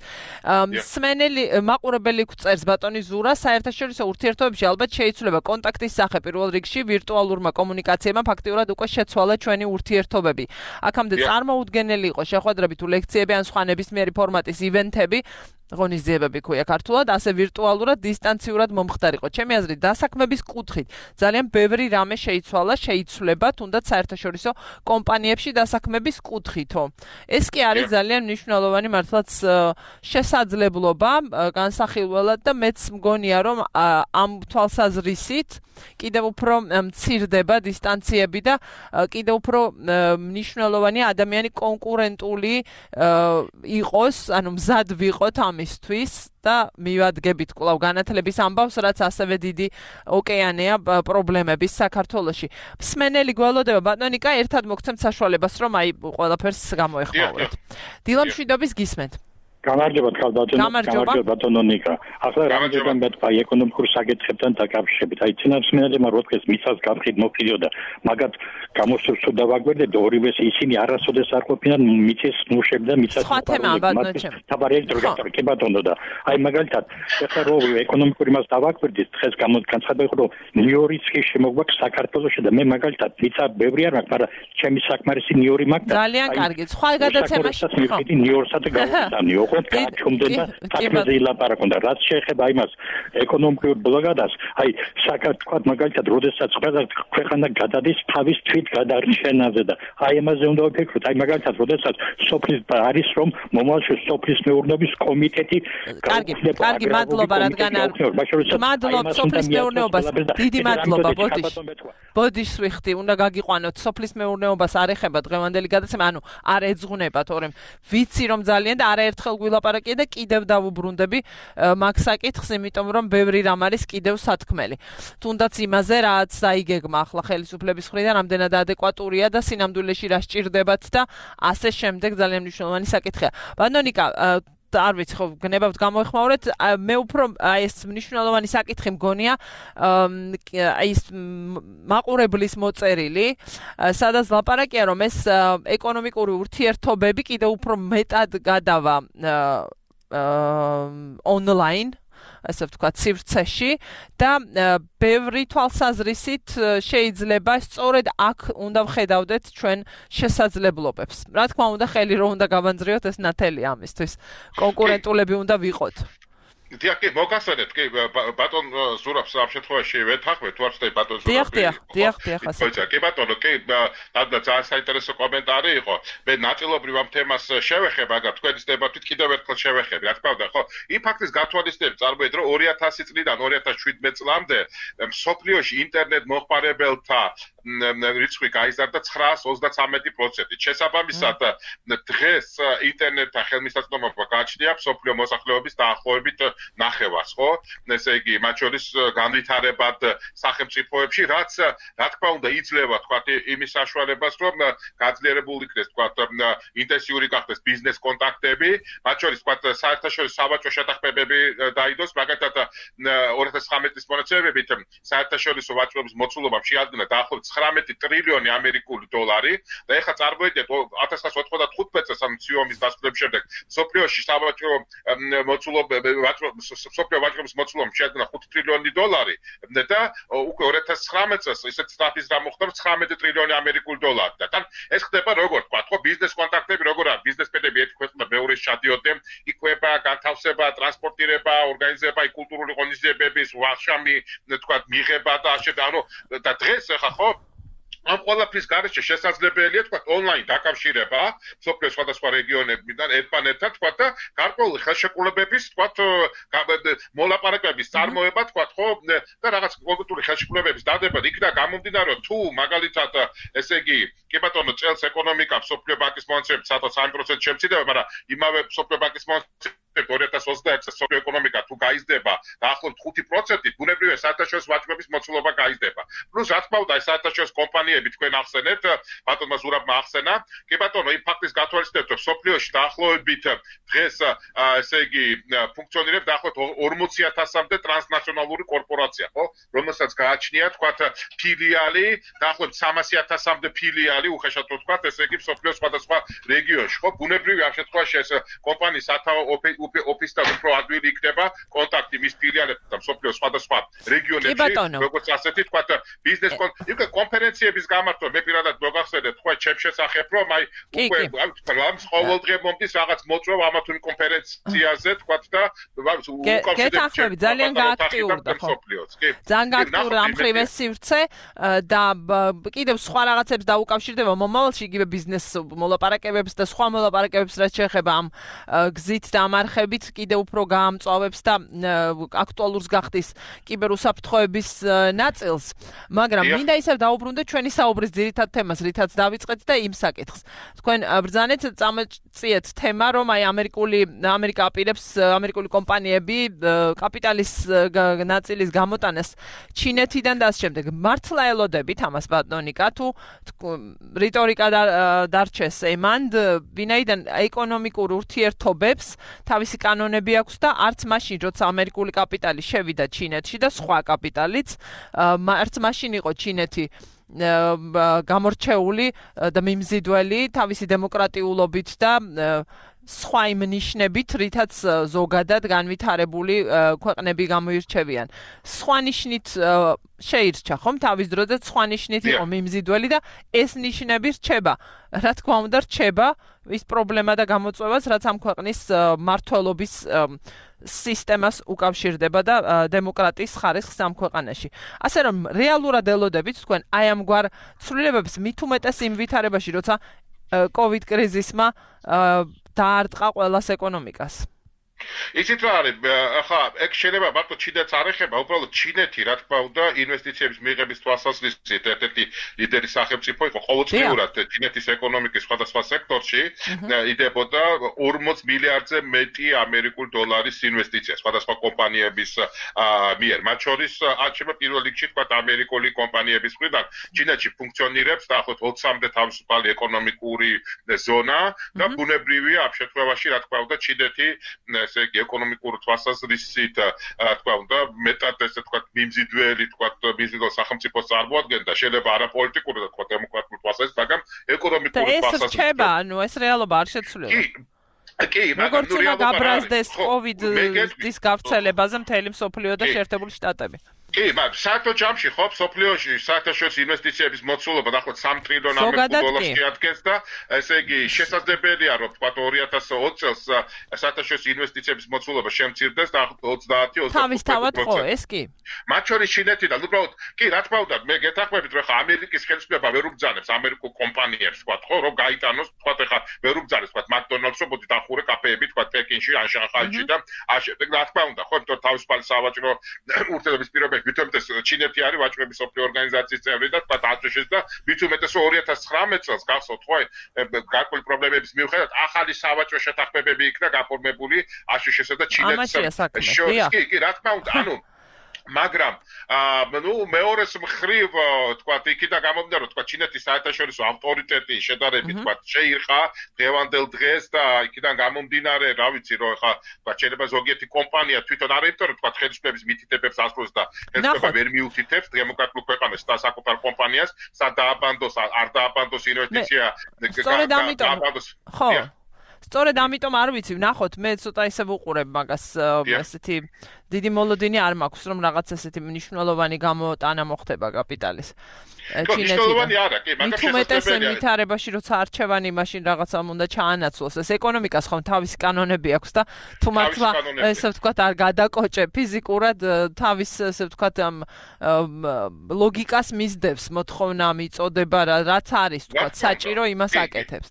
სმენელი მაყურებელი წერს ბატონი ზურა, საერთაშორისო ურთიერთობებში ალბათ შეიცვლება კონტაქტის სახე პირველ რიგში ვირტუალურმა კომუნიკაციებმა ფაქტიურად უკვე შეცვალა ჩვენი ურთიერთობები. აქამდე წარმოუდგენელი იყო შეხვედრები თუ ლექციები ან სხვა ნებისმიერი ფორმატის ივენთები, ღონისძიებები ქვია ქართულად, ასე ვირტუალურად, დისტანციურად მომხდარიყო. ჩემი აზრით, დასაქმების კუთხით ძალიან ბევრი რამე შეიცვლება, თუნდაც საერთაშორისო კომპანიებში დასაქმების კუთხითო. ეს კი არის ძალიან მნიშვნელოვანი მართლაც შესაძლებლობა განსახილველად და მეც მგონია, რომ ამ თვალსაზრისით კიდევ უფრო მცირდება დისტანციები და კიდევ უფრო მნიშვნელოვანია ადამიანი კონკურენტული იყოს, ანუ მზად ვიყოთ ამისთვის და მივადგებით კვლავ განათლების ამბავს, რაც ასევე დიდი ოკეანეა პრობლემების საქართველოში. მსმენელი გველოდება ბატონიკა, ერთად მოგცემთ საშუალებას, რომ აი ყველაფერს გამოეხმაუროთ. დილა მშვიდობის გისმენთ. გამარჯობა ბატონო ნიკა. ახლა რამდენად მეტყვა ეკონომიკურ საკითხებთან დაკავშირებით. აი წინასწარმეტყველმა რო დღეს მიწას გაფრთხილ მოფილიოდა, მაგათ გამოსურს თუ დავაგვერდეთ ორივეს ისინი არასოდეს არ ყოფილან მიწის ნუშები და მიწას თაბარელი დრო გასაკეთე ბატონო და აი მაგალითად ახლა რო ეკონომიკური მას დავაგვერდით დღეს განცხადება რომ ნიუიორკის შემოგვაქვს საქართველოში და მე მაგალითად მიწა ბევრი არ მაქვს, მაგრამ ჩემი საკმარისი ნიუიორკი მაქვს. ძალიან კარგი. სხვა გადაცემაში მივხვდი ნიუიორკსა და გავხდანიო. ჩუმდნენ და საქმეზე ილაპარაკონ და რაც შეეხება იმას ეკონომიკურ ბლოკადას, აი საქართველოს მაგალითად როდესაც ყველა ქვეყანა გადადის თავის თვით გადარჩენაზე და აი ამაზე უნდა ვფიქროთ. აი მაგალითად როდესაც სოფლის არის რომ მომავალში სოფლის მეურნეობის კომიტეტი კარგი მადლობა რადგან არ მადლობ სოფლის მეურნეობას დიდი მადლობა ბოდიშს ვიხდი უნდა გაგიყვანოთ სოფლის მეურნეობას არ ეხება დღევანდელი გადაცემა ანუ არ ეძღუნება თორემ ვიცი რომ ძალიან და არაერთხელ გვილაპარაკია და კიდევ დავუბრუნდები მაგ საკითხს იმიტომ რომ ბევრი რამ არის კიდევ სათქმელი თუნდაც იმაზე რაც დაიგეგმა ახლა ხელისუფლების მხრიდან რამდენად ადეკვატურია და სინამდვილეში რა სჭირდებათ და ასე შემდეგ ძალიან მნიშვნელოვანი საკითხია. ბატონო ნიკა არ ვიცი ხო გნებავთ გამოეხმაურეთ მე უფრო აი ეს მნიშვნელოვანი საკითხი მგონია აი ეს მაყურებლის მოწერილი სადაც ლაპარაკია რომ ეს ეკონომიკური ურთიერთობები კიდევ უფრო მეტად გადავა ონლაინ ასე ვთქვათ, სივრცეში და ბევრი თვალსაზრისით შეიძლება სწორედ აქ უნდა ვხედავდეთ ჩვენ შესაძლებლობებს. Რა თქმა უნდა, ხელი რომ უნდა გავანძრიოთ ეს ნათელი ამისთვის. კონკურენტულები უნდა ვიყოთ. დიახ, მოგახსენეთ, კი, ბატონ ზურაბს ამ შემთხვევაში ვეთანხმებ, თუ არ ვცდები ბატონ ზურაბი. დიახ, ასე. კი, ბატონო, კი, ძალიან საინტერესო კომენტარი იყო. მე ნაწილობრივ ამ თემას შევეხებ, მაგრამ თქვენის დებათით კიდევ ერთხელ შევეხები, რა თქმა უნდა, ხო? იმ ფაქტის გათვალისწინებით წარმოიდგინეთ, რომ 2000 წლიდან 2017 წლამდე მსოფლიოში ინტერნეტ მოხმარებელთა რიცხვი გაიზარდა 933%. შესაბამისად, დღეს ინტერნეტთან ხელმისაწვდომობა გააჩნია მსოფლიო მოსახლეობის დაახლოებით ნახევარს, ხო? ესე იგი, მათ შორის განვითარებად სახელმწიფოებში, რაც რა თქმა უნდა იძლევა, თქვათ, იმის საშუალებას, რომ გაძლიერებული იქნეს, თქვათ, ინტენსიური გახდეს ბიზნეს კონტაქტები, მათ შორის, თქვათ, საერთაშორისო სავაჭრო შეთანხმებები დაიდოს, მაგალითად 2019 წლის მონაცემებით საერთაშორისო ვაჭრობის მოცულობამ შეადგინა დაახლოებით 19 ტრილიონი ამერიკული დოლარი და ეხლა წარმოიდგინეთ 1995 წელს ამ ციომის დასრულების შემდეგ სოფლიოში სავაჭრო სოფლიო ვაჭრობის მოცულობამ შეადგინა 5 ტრილიონი დოლარი და უკვე 2019 წელს ისეთ სტაფის გამოხდა 19 ტრილიონი ამერიკული დოლარი და თან ეს ხდება როგორ თქვა ხო ბიზნეს კონტაქტები როგორ არის ბიზნესმენები ერთი ქვეყნიდან მეორეში შედიოდნენ იკვება განთავსება ტრანსპორტირება ორგანიზება კულტურული ღონისძიებების ვახშამი თქვა მიღება და ანუ და დღეს ახლა ხო ამ ყველაფრის გარეშე შესაძლებელია თქვა ონლაინ დაკავშირება სოფლიოს სხვადასხვა რეგიონებიდან ერთმანეთთან თქვა და გარკვეული ხელშეკრულებების თქვა მოლაპარაკებების წარმოება თქვა ხო და რაღაც კონკრეტული ხელშეკრულებების დადება იქნა გამომდინარე თუ მაგალითად ესე იგი კი ბატონო წელს ეკონომიკა სოფლიო ბანკის მონაცემებით სადაც 3% შემცირდება მაგრამ იმავე სოფლიო ბანკის მონაცემებით 2021 წელს სოფლიო ეკონომიკა თუ გაიზრდება დაახლოებით 5%, ბუნებრივია საერთაშორისო ვაჭრობის მოცულობა გაიზრდება. Პლუს რა თქმა უნდა, საერთაშორისო კომპანიები თქვენ ახსენეთ, ბატონმა ზურაბმა ახსენა, კი ბატონო, იმ ფაქტის გათვალისწინებით, რომ სოფლიოში დაახლოებით დღეს ესე იგი ფუნქციონირებს დაახლოებით 40,000-მდე ტრანსნაციონალური კორპორაცია, ხო? რომელსაც გააჩნია, თქვათ, ფილიალი, დაახლოებით 300,000-მდე ფილიალი, უხეშად ვთქვათ, ესე იგი სოფლიოს სხვადასხვა რეგიონში, ხო? ბუნებრივია ამ შემთხვევაში ეს კომპანიის სათავო ოფისთან უფრო ადვილი იქნება კონტაქტი მის ფილიალებთან მსოფლიოს სხვადასხვა რეგიონებში, როგორც ასეთი თქვა ბიზნეს კონფერენციების გამართვა მე პირადად მოგახსენეთ თქვა ჩემ შესახებ რომ აი უკვე რამს ყოველდღე მომდის რაღაც მოწვევა ამა თუ იმ კონფერენციაზე თქვა და გეთანხმები ძალიან გააქტიურდა ხო ძალიან გააქტიურდა ამ ხრივეს სივრცე და კიდევ სხვა რაღაცებს დაუკავშირდება მომავალში იგივე ბიზნეს მოლაპარაკებებს და სხვა მოლაპარაკებებს რაც შეეხება ამ გზით და ამ არხებით კიდევ უფრო გაამწვავებს და აქტუალურს გახდის კიბერუსაფრთხოების ნაწილს, მაგრამ მინდა ისევ დაუბრუნდეთ ჩვენი საუბრის ძირითად თემას, რითაც დავიწყეთ და იმ საკითხს. თქვენ ბრძანეთ წამოწიეთ თემა, რომ აი ამერიკა აპირებს ამერიკული კომპანიები კაპიტალის ნაწილის გამოტანას ჩინეთიდან და ამ შემდეგ. მართლა ელოდებით ამას ბატონიკა თუ რიტორიკა დარჩეს ემანდ, ვინაიდან ეკონომიკურ ურთიერთობებს თავისი კანონები აქვს და არც მაშინ როცა ამერიკული კაპიტალი შევიდა ჩინეთში და სხვა კაპიტალიც არც მაშინ იყო ჩინეთი გამორჩეული და მიმზიდველი თავისი დემოკრატიულობით და სხვა იმ ნიშნებით, რითაც ზოგადად განვითარებული ქვეყნები გამოირჩევიან. სხვა ნიშნით შეირჩა ხომ თავის დროზე სხვა ნიშნით იყო მიმზიდველი და ეს ნიშნები რჩება. რა თქმა უნდა რჩება ის პრობლემა და გამოწვევაც, რაც ამ ქვეყნის მართლობის სისტემას უკავშირდება და დემოკრატიის ხარისხს ამ ქვეყანაში. ასე რომ რეალურად ელოდებით თქვენ აი ამგვარ ცვლილებებს მით უმეტეს იმ ვითარებაში, როცა COVID კრიზისმა დაარტყა ყველას ეკონომიკას. იცით რა არის ახლა ეგ შეიძლება მარტო ჩინეთს არ ეხება უბრალოდ ჩინეთი რა თქმა უნდა ინვესტიციების მიღების თვალსაზრისით ერთ-ერთი ლიდერი სახელმწიფო იყო ყოველწლიურად ჩინეთის ეკონომიკის სხვადასხვა სექტორში იდებოდა 40 მილიარდზე მეტი ამერიკული დოლარის ინვესტიცია სხვადასხვა კომპანიების მიერ მათ შორის არჩევა პირველ რიგში თქვა ამერიკული კომპანიების მხრიდან ჩინეთში ფუნქციონირებს დაახლოებით 20-მდე თავისუფალი ეკონომიკური ზონა და ბუნებრივია ამ შემთხვევაში რა თქმა უნდა ჩინეთი ესე იგი ეკონომიკურ თვალსაზრისით რა თქმა უნდა მეტად ესე თქვა მიმზიდველი თქვა ბიზნეს სახელმწიფოს წარმოადგენდა შეიძლება არაპოლიტიკური და თქვა დემოკრატიული თვალსაზრისით მაგრამ ეკონომიკური თვალსაზრისით ეს რჩება ანუ ეს რეალობა არ შეცვლება კი როგორც უნდა გაბრაზდეს COVID-ის გავრცელებაზე მთელი მსოფლიო და შეერთებული შტატები კი, მაგრამ საერთო ჯამში ხო სოფლიოში საერთაშორისო ინვესტიციების მოცულობა დაახლოებით 3 ტრილიონ ამერიკულ დოლარს შეადგენს და ესე იგი შესაძლებელია რომ თქვა 2020 წელს საერთაშორისო ინვესტიციების მოცულობა შემცირდეს დაახლოებით 30-35%. თავისთავად ხო, ეს კი. მათ შორის ჩინეთიდან უბრალოდ კი რა თქმა უნდა მე გეთანხმებით რომ ხა ამერიკის ხელისუფლება ვერ უბრძანებს ამერიკულ კომპანიებს თქვა ხო რომ გაიტანოს თქვა ხა ვერ უბრძანებს თქვა მაკდონალდსო მოდი დახურე კაფეები თქვა პეკინში ან შანხაიში და ამ შემდეგ რა თქმა უნდა ხო იმიტომ თავისუფალი სავაჭრო ურთიერთობის პირობები ვიტომეტეს ჩინეთი არის ვაჭრობის სოფლიო ორგანიზაციის წევრი და თქვა აწეშეს და ვიტომეტეს 2019 წელს გახსოვთ ხო გარკვეული პრობლემების მიუხედავად ახალი სავაჭრო შეთანხმებები იქნა გაფორმებული აშშ-სა და ჩინეთს შორის კი რა თქმა უნდა ანუ მაგრამ ნუ მეორეს მხრივ თქვა იქიდან გამომდინარე რომ თქვა ჩინეთის საერთაშორისო ავტორიტეტი შედარებით თქვა შეირყა დღევანდელ დღეს და იქიდან გამომდინარე რა ვიცი რომ ხა თქვა შეიძლება ზოგიერთი კომპანია თვითონ არ იმიტომ რომ თქვა ხელისუფლების მითითებებს ასრულებს და ხელისუფლება ვერ მიუთითებს დემოკრატიულ ქვეყანას და საკუთარ კომპანიას სად დააბანდოს არ დააბანდოს ინვესტიცია სწორედ ამიტომ ხო სწორედ ამიტომ არ ვიცი ვნახოთ მე ცოტა ისე ვუყურებ მაგას ესეთი დიდი მოლოდინი არ მაქვს რომ რაღაც ესეთი მნიშვნელოვანი გამოტანა მოხდება კაპიტალის მნიშვნელოვანი არა კი მაგრამ შესაძლებელია ვითარებაში როცა არჩევანი მაშინ რაღაცამ უნდა ჩაანაცვლოს ეს ეკონომიკას ხომ თავისი კანონები აქვს და თუ მართლა ესე ვთქვათ არ გადაკოჭე ფიზიკურად თავის ესე ვთქვათ ამ ლოგიკას მისდევს მოთხოვნა მიწოდება რაც არის ვთქვათ საჭირო იმას აკეთებს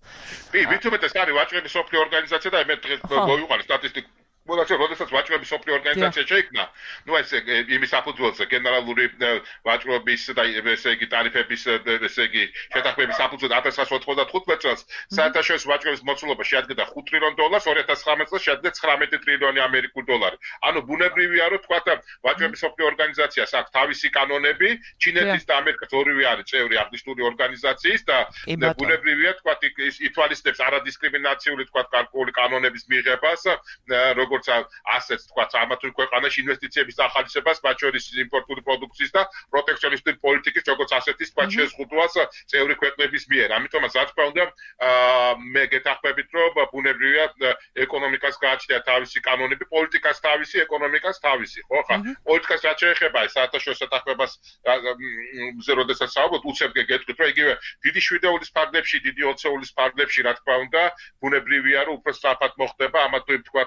კი ვითომეტეს არის ვაჭრობის სოფლიო ორგანიზაცია და მე დღეს მოვიყვანე სტატისტიკა მოდაც როდესაც ვაჭრობის სოფლიო ორგანიზაცია შეიქმნა, ნუ ეს იმის საფუძველზე გენერალური ვაჭრობის და ესე იგი ტარიფების ესე იგი შეთანხმების საფუძველზე 1995 წელს საერთაშორისო ვაჭრობის მოცულობა შეადგენდა 5 ტრილიონ დოლარს, 2019 წელს შეადგენდა 19 ტრილიონი ამერიკული დოლარი. ანუ ბუნებრივია რომ თქვა ვაჭრობის სოფლიო ორგანიზაციას აქვს თავისი კანონები, ჩინეთის და ამერიკის ორივე არის წევრი აღნიშნული ორგანიზაციის და ბუნებრივია თქვა ითვალისწინებს არადისკრიმინაციული თქვა გარკვეული კანონების მიღებას, როგორც ასეც თქვა ამა თუ ქვეყანაში ინვესტიციების ახალისებას, მათ შორის იმპორტული პროდუქციის და პროტექციონისტური პოლიტიკის როგორც ასეთის თქვა შეზღუდვას წევრი ქვეყნების მიერ. ამიტომაც რა თქმა უნდა მე გეთანხმებით რომ ბუნებრივია ეკონომიკას გააჩნია თავისი კანონები, პოლიტიკას თავისი, ეკონომიკას თავისი, ხო ხა? პოლიტიკას რაც შეეხება საერთაშორისო შეთანხმებას როდესაც საუბრობთ, უცებ გეტყვით რომ იგივე დიდი შვიდეულის ფარგლებში, დიდი ოცეულის ფარგლებში რა თქმა უნდა ბუნებრივია რომ უფრო სწრაფად მოხდება ამა თუ თქვა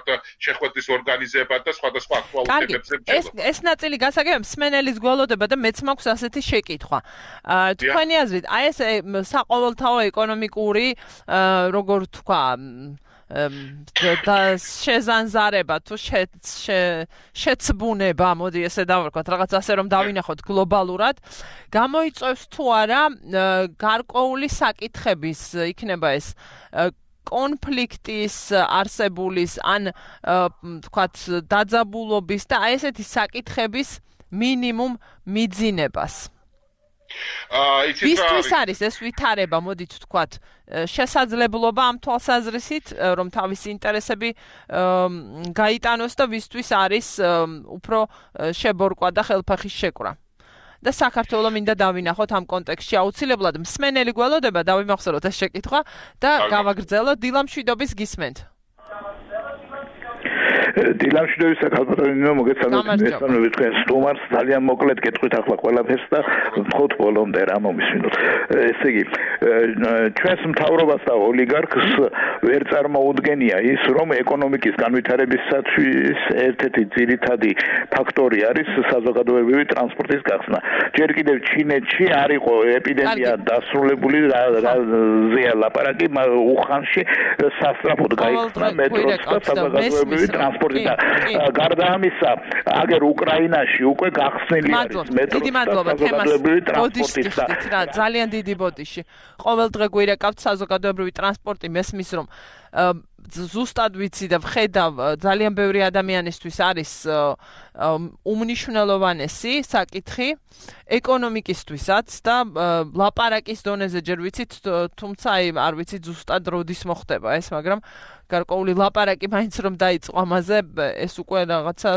შეხვედრის ორგანიზება და სხვადასხვა აქტუალობებზე ბრძოლა. ეს ნაწილი გასაგებია მსმენელის გველოდება და მეც მაქვს ასეთი შეკითხვა. თქვენი აზრით, აი ეს საყოველთაო ეკონომიკური როგორ თქვა და შეზანზარება თუ შეცბუნება, მოდი ესე დავარქვათ, რაღაც ასე რომ დავინახოთ გლობალურად, გამოიწვევს თუ არა გარკვეული საკითხების იქნება ეს კონფლიქტის არსებულის ან თქვათ დაძაბულობის და აი ესეთი საკითხების მინიმუმ მიძინებას. ისთვის არის ეს ვითარება, მოდით ვთქვათ, შესაძლებლობა ამ თვალსაზრისით, რომ თავისი ინტერესები გაიტანოს და ვისთვის არის უფრო შებორკვა და ხელფეხის შეკვრა. და საქართველოს მინდა დავინახოთ ამ კონტექსტში აუცილებლად მსმენელი გველოდება დავიმახსოვროთ ეს შეკითხვა და გავაგრძელოთ დილამშვიდობის გისმენთ. დილამშვიდობის საკალბატონო მოგეცანოთ მესამე თქვენ სტუმარს ძალიან მოკლედ გეტყვით ახლა ყველაფერს და ვთხოვთ ბოლომდე რა მომისმინოთ. ესე იგი ჩვენს მთავრობას და ოლიგარქს ვერ წარმოუდგენია ის რომ ეკონომიკის განვითარებისათვის ერთ-ერთი ძირითადი ფაქტორი არის საზოგადოებრივი ტრანსპორტის გახსნა. ჯერ კიდევ ჩინეთში არ იყო ეპიდემია დასრულებული რაზეა ლაპარაკი უხანში სასწრაფოდ გაიხსნა მეტროს და საზოგადოებრივი ტრანსპორტი ტრანსპორტი და გარდა ამისა, აგერ უკრაინაში უკვე გახსნილი არის მეტრო. დიდი მადლობა თემას ბოდიშის რა ძალიან დიდი ბოდიში. ყოველ დღე გვირეკავთ საზოგადოებრივი ტრანსპორტი მესმის რომ ზუსტად ვიცი და ვხედავ ძალიან ბევრი ადამიანისთვის არის უმნიშვნელოვანესი საკითხი ეკონომიკისთვისაც და ლაპარაკის დონეზე ჯერ ვიცით თუმცა არ ვიცით ზუსტად როდის მოხდება ეს მაგრამ გარკვეული ლაპარაკი მაინც რომ დაიწყო ამაზე ეს უკვე რაღაცა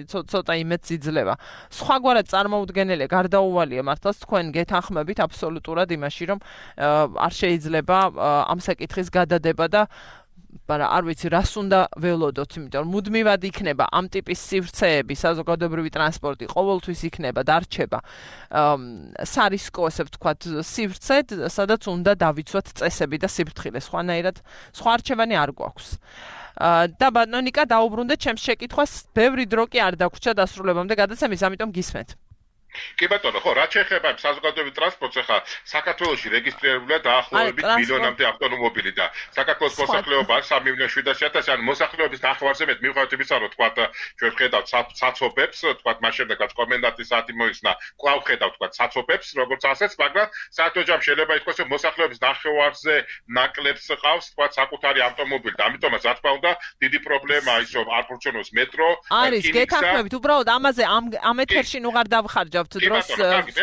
ცოტა იმედს იძლევა სხვაგვარად წარმოუდგენელია გარდაუვალია მართლაც თქვენ გეთანხმებით აბსოლუტურად იმაში რომ არ შეიძლება ამ საკითხის გადადება და მაგრამ არ ვიცი რას უნდა ველოდოთ, იმიტომ რომ მუდმივად იქნება ამ ტიპის სივრცეები, საზოგადოებრივი ტრანსპორტი ყოველთვის იქნება დარჩება სარისკო, ასე ვთქვათ, სივრცედ, სადაც უნდა დავიცვათ წესები და სიფრთხილე, სხვანაირად სხვა არჩევანი არ გვაქვს. და ბატონიკა დაუბრუნდეთ ჩემს შეკითხვას, ბევრი დრო კი არ დაგვრჩა დასრულებამდე გადაცემის, ამიტომ გისმენთ. კი ბატონო, ხო, რაც შეეხება საზოგადოებრივ ტრანსპორტს, ახლა საქართველოში რეგისტრირებულია დაახლოებით მილიონამდე ავტომობილი და საქართველოს მოსახლეობა არის 3.700.000, ანუ მოსახლეობის ნახევარზე მეტ მიუხედავად იმისა, რომ თქვათ ჩვენ ვხედავთ საცობებს, თქვათ მას შემდეგაც კომენდანტის საათი მოიხსნა, კვლავ ვხედავთ თქვათ საცობებს, როგორც ასეც, მაგრამ საერთო ჯამში შეიძლება ითქვას, რომ მოსახლეობის ნახევარზე ნაკლებს ყავს თქვათ საკუთარი ავტომობილი და ამიტომაც რა თქმა უნდა დიდი პრობლემაა ის, რომ არ ფუნქციონობს მეტრო. არის გეთანხმებით, უბრალოდ ამაზე ამ ეთერში ნუ არ დავხარჯავ დროს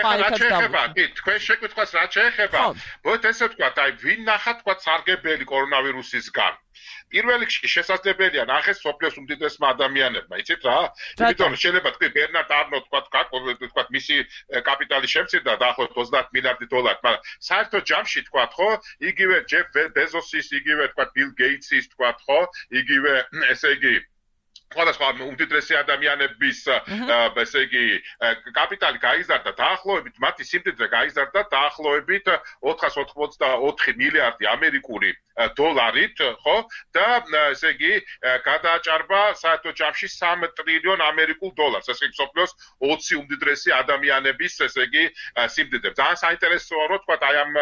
ფაიქად დავუყო. თქვენ შეკითხვას რა შეეხება? მოდი ესე ვთქვათ, აი ვინ ნახა თქვათ სარგებელი კორონავირუსისგან. პირველ რიგში შესაძლებელია ნახეს სოფლიოს უმდიდრესმა ადამიანებმა, იცით რა? იმიტომ რომ შეიძლება თქვი ბერნარდ არნო თქვათ მისი კაპიტალი შემცირდა დაახლოებით 30 მილიარდი დოლარი, მაგრამ საერთო ჯამში თქვათ ხო, იგივე ჯეფ ბეზოსის, იგივე თქვათ ბილ გეიტსის თქვათ ხო, იგივე ესე იგი სხვადასხვა უმდიდრესი ადამიანების ესე იგი კაპიტალი გაიზარდა დაახლოებით მათი სიმდიდრე გაიზარდა დაახლოებით 484 მილიარდი ამერიკული დოლარით, ხო? და ესე იგი გადააჭარბა საერთო ჯამში 3 ტრილიონ ამერიკულ დოლარს. ესე იგი სოფლიოს 20 უმდიდრესი ადამიანების ესე იგი სიმდიდრე. ძალიან საინტერესოა რომ თქვა აი ამ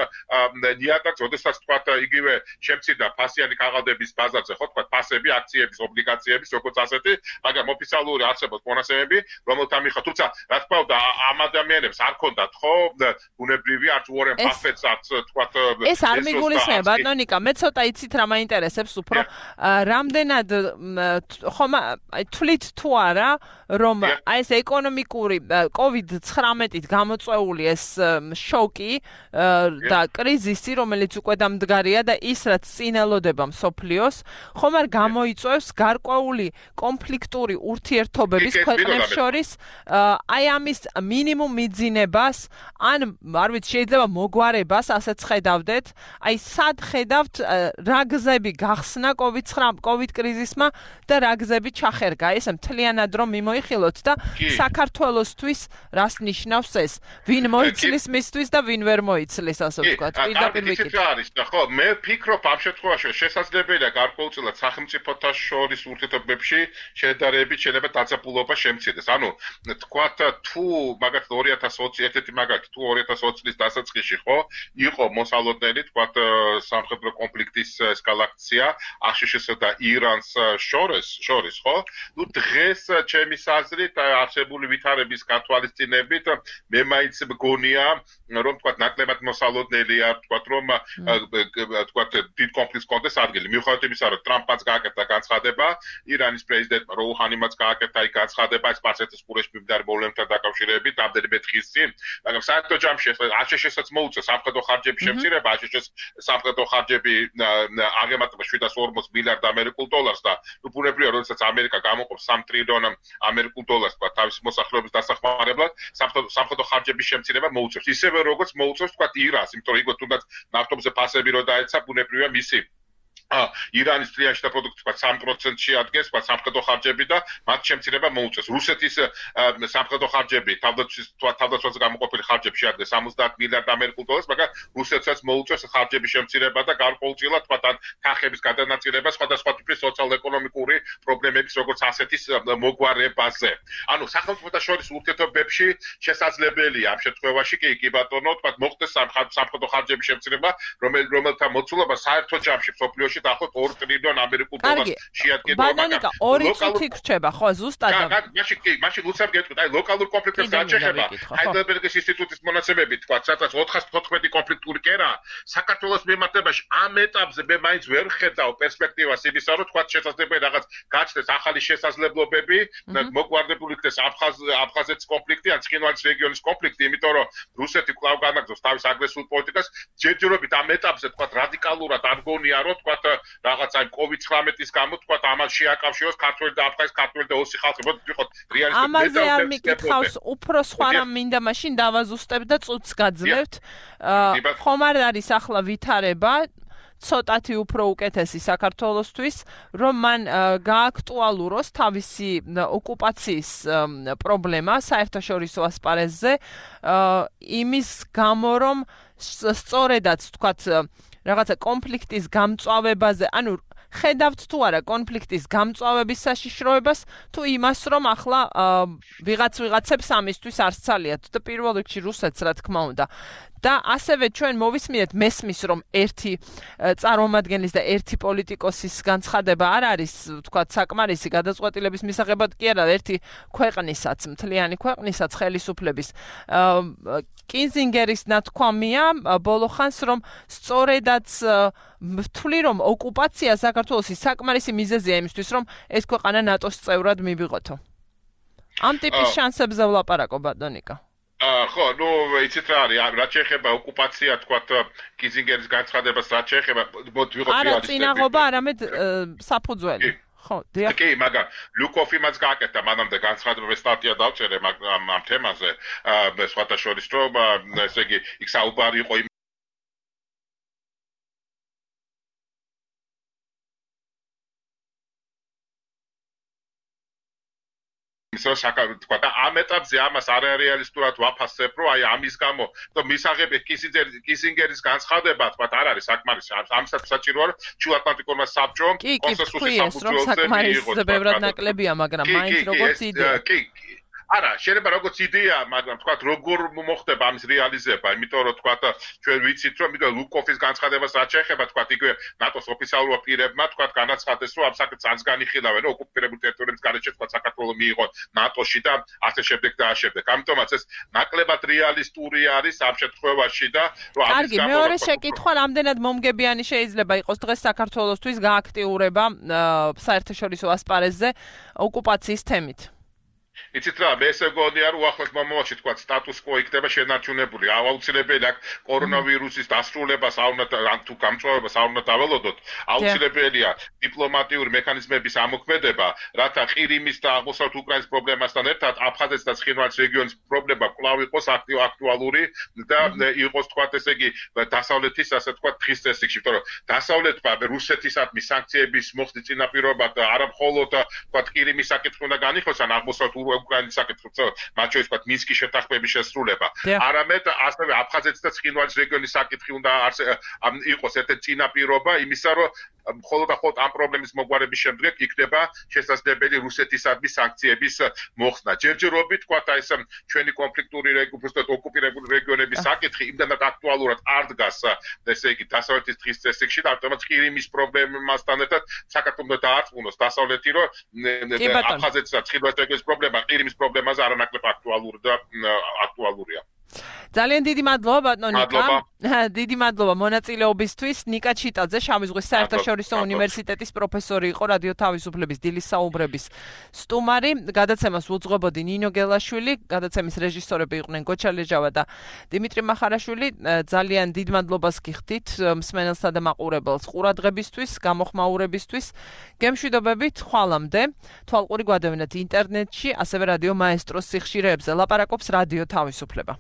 ნიადაგს, როდესაც თქვა იგივე შემცირდა ფასიანი ქაღალდების ბაზარზე, ხო, თქვა ფასები, აქციების, ობლიგაციების, როგორც ასეთი, მაგრამ ოფიციალური არსებობს მონაცემები, რომელთა მიხედვით, თუმცა რა თქმა უნდა ამ ადამიანებს არ ქონდათ, ხო, ბუნებრივი არც უორენ ბაფეტს არც თქვა ეს არ მიგულისხმება, ბატონიკა, მე ცოტა იცით რა მაინტერესებს უფრო რამდენად ხომ თვლით თუ არა რომ აი ეს ეკონომიკური COVID-19-ით გამოწვეული ეს შოკი და კრიზისი რომელიც უკვე დამდგარია და ის რაც წინელოდება მსოფლიოს ხომ არ გამოიწვევს გარკვეული კონფლიქტური ურთიერთობების ქვეყნებს შორის აი ამის მინიმუმ მიძინებას ან არ ვიცი შეიძლება მოგვარებას ასეც ხედავდეთ აი სად ხედავთ რა გზები გახსნა COVID კრიზისმა და რა გზები ჩახერგა ესე მთლიანად რომ მიმოიხილოთ და საქართველოსთვის რას ნიშნავს ეს ვინ მოიცლის მისთვის და ვინ ვერ მოიცლის ასე ვთქვათ პირდაპირ ვიკითხე არის ხო მე ვფიქრობ ამ შემთხვევაში შესაძლებელია გარკვეულწილად სახელმწიფოთა შორის ურთიერთობებში შედარებით შეიძლება დაწესებულობა შემცირდეს ანუ თქვათ თუ მაგათ 2020 ერთ-ერთი მაგათ თუ 2020 წლის დასაწყისში ხო იყო მოსალოდნელი თქვათ სამხედრო კონფლიქტის ესკალაცია აშშ-სა და ირანს შორის ხო ნუ დღეს ჩემი აზრით არსებული ვითარების გათვალისწინებით მე მაინც მგონია რომ თქვათ ნაკლებად მოსალოდნელია თქვათ რომ თქვათ დიდ კონფლიქტს კონდეს ადგილი მიუხედავად იმისა რომ ტრამპმაც გააკეთა განცხადება ირანის პრეზიდენტმა როუჰანიმაც გააკეთა იქ განცხადება ეს სპარსეთის ყურეში მიმდინარე პრობლემებთან დაკავშირებით რამდენიმე დღის წინ მაგრამ საერთო ჯამში აშშ-საც მოუწევს სამხედრო ხარჯების შემცირება აშშ-ს სამხედრო ხარჯები აღემატება 740 მილიარდ ამერიკულ დოლარს და უბრალოდ როდესაც ამერიკა გამოყოფს 3 ტრილიონ ამერიკულ დოლარს თქვა თავის მოსახლეობის დასახმარებლად სამხედრო ხარჯების შემცირება მოუწევს ისევე როგორც მოუწევს თქვა ირანს იმიტომ რომ იგივე თუნდაც ნავთობზე ფასები რო დაეცა ბუნებრივია მისი ირანის ტრიანშთა პროდუქტი თქვა 3%-ში ადგენს თქვა სამხედრო ხარჯები და მათ შემცირება მოუწევს. რუსეთის სამხედრო ხარჯები თავდაცვაზე გამოყოფილი ხარჯები შეადგენს 70 მილიარდ ამერიკულ დოლარს, მაგრამ რუსეთსაც მოუწევს ხარჯების შემცირება და გარკვეულწილად თქვა თანხების გადანაწილება სხვადასხვა ტიპის სოციალურ-ეკონომიკური პრობლემების როგორც ასეთის მოგვარებაზე. ანუ სახელმწიფოთა შორის ურთიერთობებში შესაძლებელია ამ შემთხვევაში კი ბატონო თქვა მოხდეს სამხედრო ხარჯების შემცირება, რომელთა მოცულობა საერთო ჯამში მსოფლიოში წუთში დაახლოებით 2 ტრილიონ ამერიკულ დოლარს შეადგენდა. ბანანიკა 2 წუთი გრჩება, ხო, ზუსტად. მაშინ უცებ გეტყვით, აი ლოკალურ კონფლიქტებს რაც შეეხება, ჰაიდელბერგის ინსტიტუტის მონაცემებით თქვა, სადაც 414 კონფლიქტური კერა საქართველოს მიმართებაში ამ ეტაპზე მე მაინც ვერ ხედავ პერსპექტივას იმისა, რომ თქვა შესაძლებელი რაღაც გაჩნდეს ახალი შესაძლებლობები, მოგვარდებული იქნეს აფხაზეთის კონფლიქტი ან ცხინვალის რეგიონის კონფლიქტი, იმიტომ რომ რუსეთი კვლავ განაგრძობს თავის აგრესიულ პოლიტიკას, ჯერჯერობით ამ ეტაპზე თქვა რადიკალურად არ გონია, რომ თქვა რაღაც აი COVID-19-ის გამო თქვა ამას შეაკავშიროს ქართველი და აფხაზეთის ქართველი და ოსი ხალხი, ვიყოთ რეალისტი. ამაზე არ მიკითხავს, უფრო სხვა რამ მინდა მაშინ დავაზუსტებ და წუთს გაძლევთ. ხომ არ არის ახლა ვითარება ცოტათი უფრო უკეთესი საქართველოსთვის, რომ მან გააქტუალუროს თავისი ოკუპაციის პრობლემა საერთაშორისო ასპარეზზე, იმის გამო, რომ სწორედაც თქვათ რაღაცა კონფლიქტის გამწვავებაზე, ანუ ხედავთ თუ არა კონფლიქტის გამწვავების საშიშროებას, თუ იმას, რომ ახლა ვიღაცებს ამისთვის არ სცალიათ და პირველ რიგში რუსეთს, რა თქმა უნდა. და ასევე ჩვენ მოვისმინეთ მესმის, რომ ერთი წარმომადგენლის და ერთი პოლიტიკოსის განცხადება არ არის, თქვათ, საკმარისი გადაწყვეტილების მისაღებად კი არა, ერთი ქვეყნისაც, მთლიანი ქვეყნისაც ხელისუფლების კინზინგერის ნათქვამია ბოლო ხანს, რომ სწორედაც ვთვლი, რომ ოკუპაცია საქართველოსი საკმარისი მიზეზია იმისთვის, რომ ეს ქვეყანა ნატოს წევრად მივიღოთო. ამ ტიპის შანსებზე ვლაპარაკო, ბატონიკა. ხო, ნუ იცით რა არის, რაც შეეხება ოკუპაცია, თქვათ, კინზინგერის განცხადებას, რაც შეეხება, ვიღოთ რეალისტები. არა, წინაღობა, არამედ საფუძველი. ხო, დიახ. კი, მაგრამ ლუკოფი მას გააკეთა, მანამდე განცხადება სტატია დავწერე ამ თემაზე, სხვათა შორის, რომ ესე იგი, იქ საუბარი იყო თქვა და ამ ეტაპზე ამას არარეალისტურად ვაფასებ, რომ აი ამის გამო და მისაღები კისინგერის განცხადება თქვა არ არის საკმარისი. ამასაც საჭიროა რომ ჩუატლანტიკურმა საბჭომ კონსენსუსის სამუძველზე მიიღოს. ბევრად ნაკლებია, მაგრამ მაინც როგორც იდეა. არა, შეიძლება როგორც იდეა, მაგრამ თქვა როგორ მოხდება ამის რეალიზება, იმიტომ რომ თქვა ჩვენ ვიცით რომ ლუკოფის განცხადებას რაც შეეხება თქვა იგივე ნატოს ოფიციალურ პირებმა თქვა განაცხადეს რომ ამ საკითხს არც განიხილავენ რომ ოკუპირებულ ტერიტორიებს გარეშე თქვა საქართველოს მიიღო ნატოში და ასე შემდეგ და ასე შემდეგ. ამიტომაც ეს ნაკლებად რეალისტური არის ამ შემთხვევაში და რომ ამის გამო მეორე შეკითხვა რამდენად მომგებიანი შეიძლება იყოს დღეს საქართველოსთვის გააქტიურება საერთაშორისო ასპარეზზე ოკუპაციის თემით. იცით რა, მე ესე გონია რომ ახლოს მომავალში თქვა სტატუს კო იქნება შენარჩუნებული. აუცილებელი აქ კორონავირუსის დასრულებას არ უნდა ან თუ გამწვავებას არ უნდა დაველოდოთ. აუცილებელია დიპლომატიური მექანიზმების ამოქმედება, რათა ყირიმის და აღმოსავლეთ უკრაინის პრობლემასთან ერთად აფხაზეთის და ცხინვალის რეგიონის პრობლემა კვლავ იყოს აქტუალური და იყოს თქვა ესე იგი დასავლეთის ასე თქვა თხის წესრიგში, იმიტომ რომ დასავლეთმა რუსეთისადმი სანქციების მოხდის წინაპირობად არა მხოლოდ თქვა ყირიმის საკითხი უნდა განიხილოს, ან აღმოსავლეთ უკრაინის საკითხიც, მათ შორის თქვა მინსკის შეთანხმების შესრულება. არამედ ასევე აფხაზეთის და ცხინვალის რეგიონის საკითხი უნდა იყოს ერთ-ერთი წინაპირობა იმისა, რომ მხოლოდ ამ პრობლემის მოგვარების შემდეგ იქნება შესაძლებელი რუსეთისადმი სანქციების მოხსნა. ჯერჯერობით თქვა ეს ჩვენი კონფლიქტური ოკუპირებული რეგიონების საკითხი იმდანაც აქტუალურად არ დგას, ესე იგი დასავლეთის თხის წესრიგში და ამიტომაც ყირიმის პრობლემასთან ერთად საქართველოს დაარწმუნოს დასავლეთი, რომ აფხაზეთის და ცხინვალის რეგიონის პრობლემა ყირიმის პრობლემაზე არანაკლებ აქტუალურია. ძალიან დიდი მადლობა ბატონიკა. დიდი მადლობა მონაწილეობისთვის. ნიკა ჩიტაძე, შავი ზღვის საერთაშორისო უნივერსიტეტის პროფესორი იყო, რადიო თავისუფლების დილის საუბრების სტუმარი. გადაცემას უძღვებოდი ნინო გელაშვილი, გადაცემის რეჟისორები იყვნენ გოჩა ლეჟავა და დიმიტრი მახარაშვილი. ძალიან დიდ მადლობას გიხდით მსმენელსა და მაყურებელს ყურადღებისთვის, გამოხმაურებისთვის. გემშვიდობებით, ხვალამდე. თვალყური გვადევნეთ ინტერნეტში, ასევე რადიო მაესტროს სიხშირეებზე. ლაპარაკობს რადიო თავისუფლება.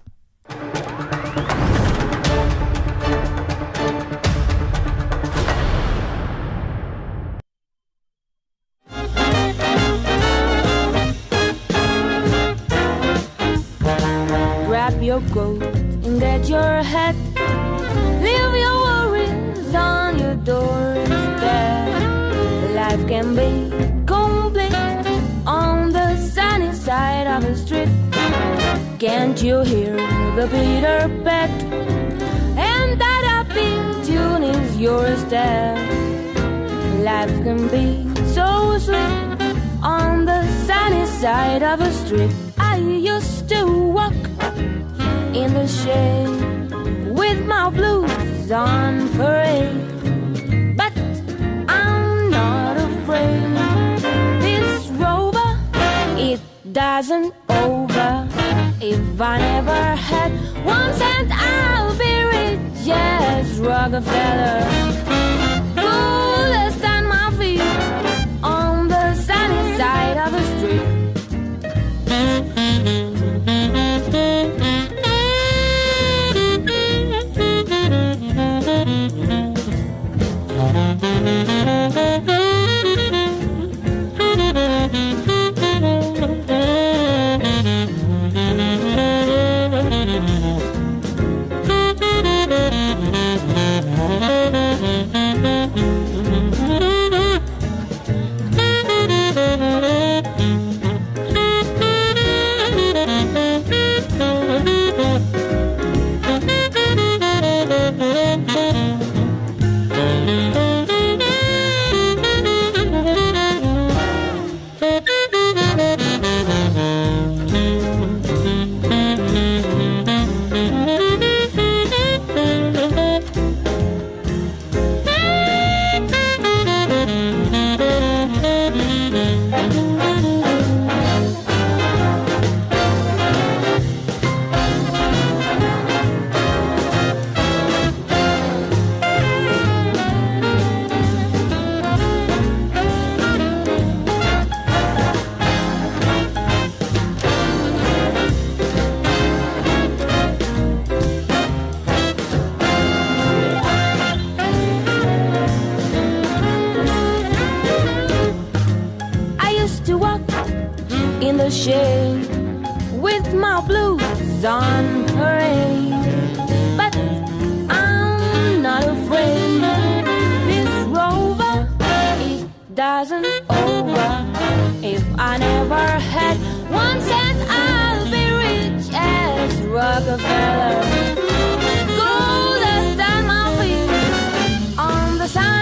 Grab your coat and get your hat. Leave your worries on your doorstep. Life can be complete on the sunny side of the street. Can't you hear the Peter Pat? And that upping tune is your step. life can be so sweet on the sunny side of a street. I used to walk in the shade with my blues on parade, but I'm not afraid. This rover, it doesn't over. If I never had 1 cent, I'll be rich as Rockefeller. Coolest on my feet on the sunny side of the street. Shade with my blues on parade, but I'm not afraid. This rover, it doesn't over. If I never had 1 cent, I'll be rich as Rockefeller. Gold dust on my feet on the sunny.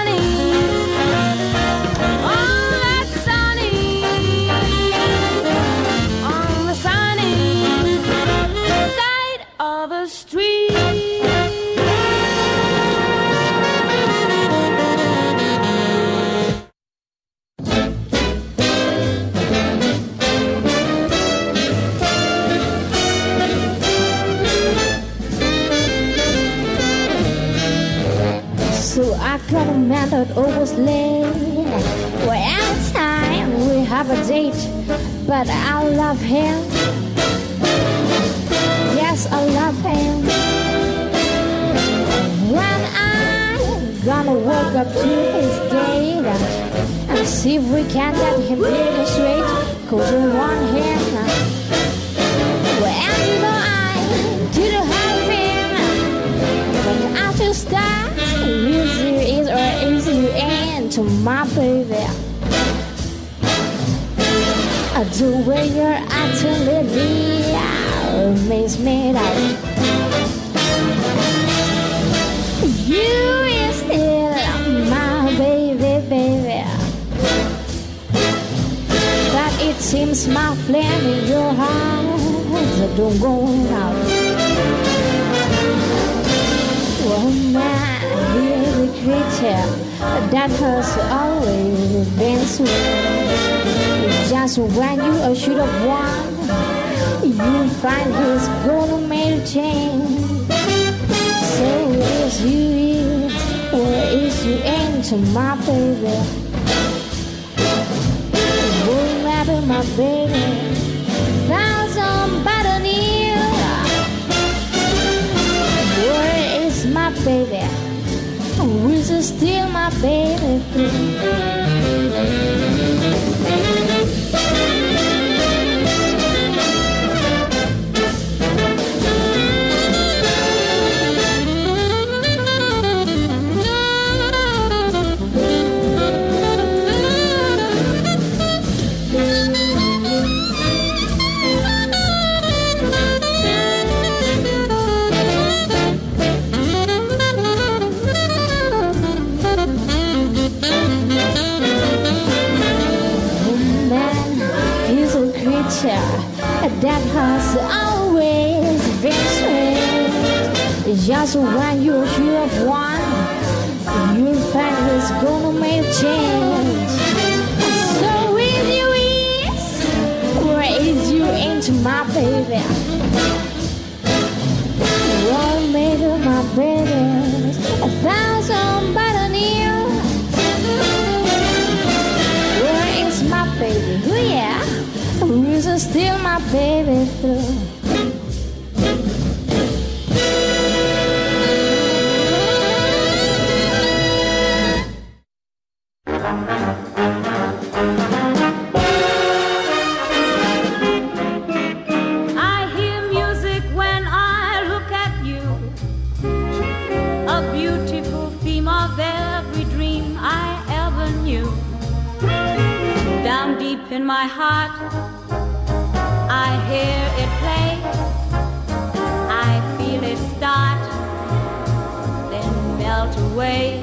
Got a man that always late. Well, every time we have a date, but I love him. Yes, I love him. When I'm gonna walk up to his gate and see if we can get him pretty straight, 'cause we want him. Well, you know I didn't have him, but I just start. Easy is or easy end to my baby. The way you're acting lately makes me doubt. You is still my baby, baby. But it seems my flame in your heart don't go out. Oh man, really creature that has always been sweet. Just when you should have won, you find his golden mail chain. So is you, where is you into my baby? It won't matter, my baby. Thousand better near. Where is my baby? Is it still my baby? that has always been sweet. Just when you feel one, you'll find it's gonna make a change. So with you is, raise you into my baby. What made of my baby? 1,000 better than you. Where is my baby? Oh yeah, who is still my baby through? In my heart, I hear it play. I feel it start, then melt away.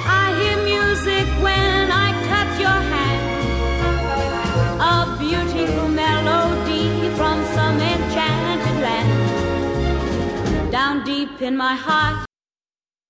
I hear music when I touch your hand, a beautiful melody from some enchanted land. Down deep in my heart,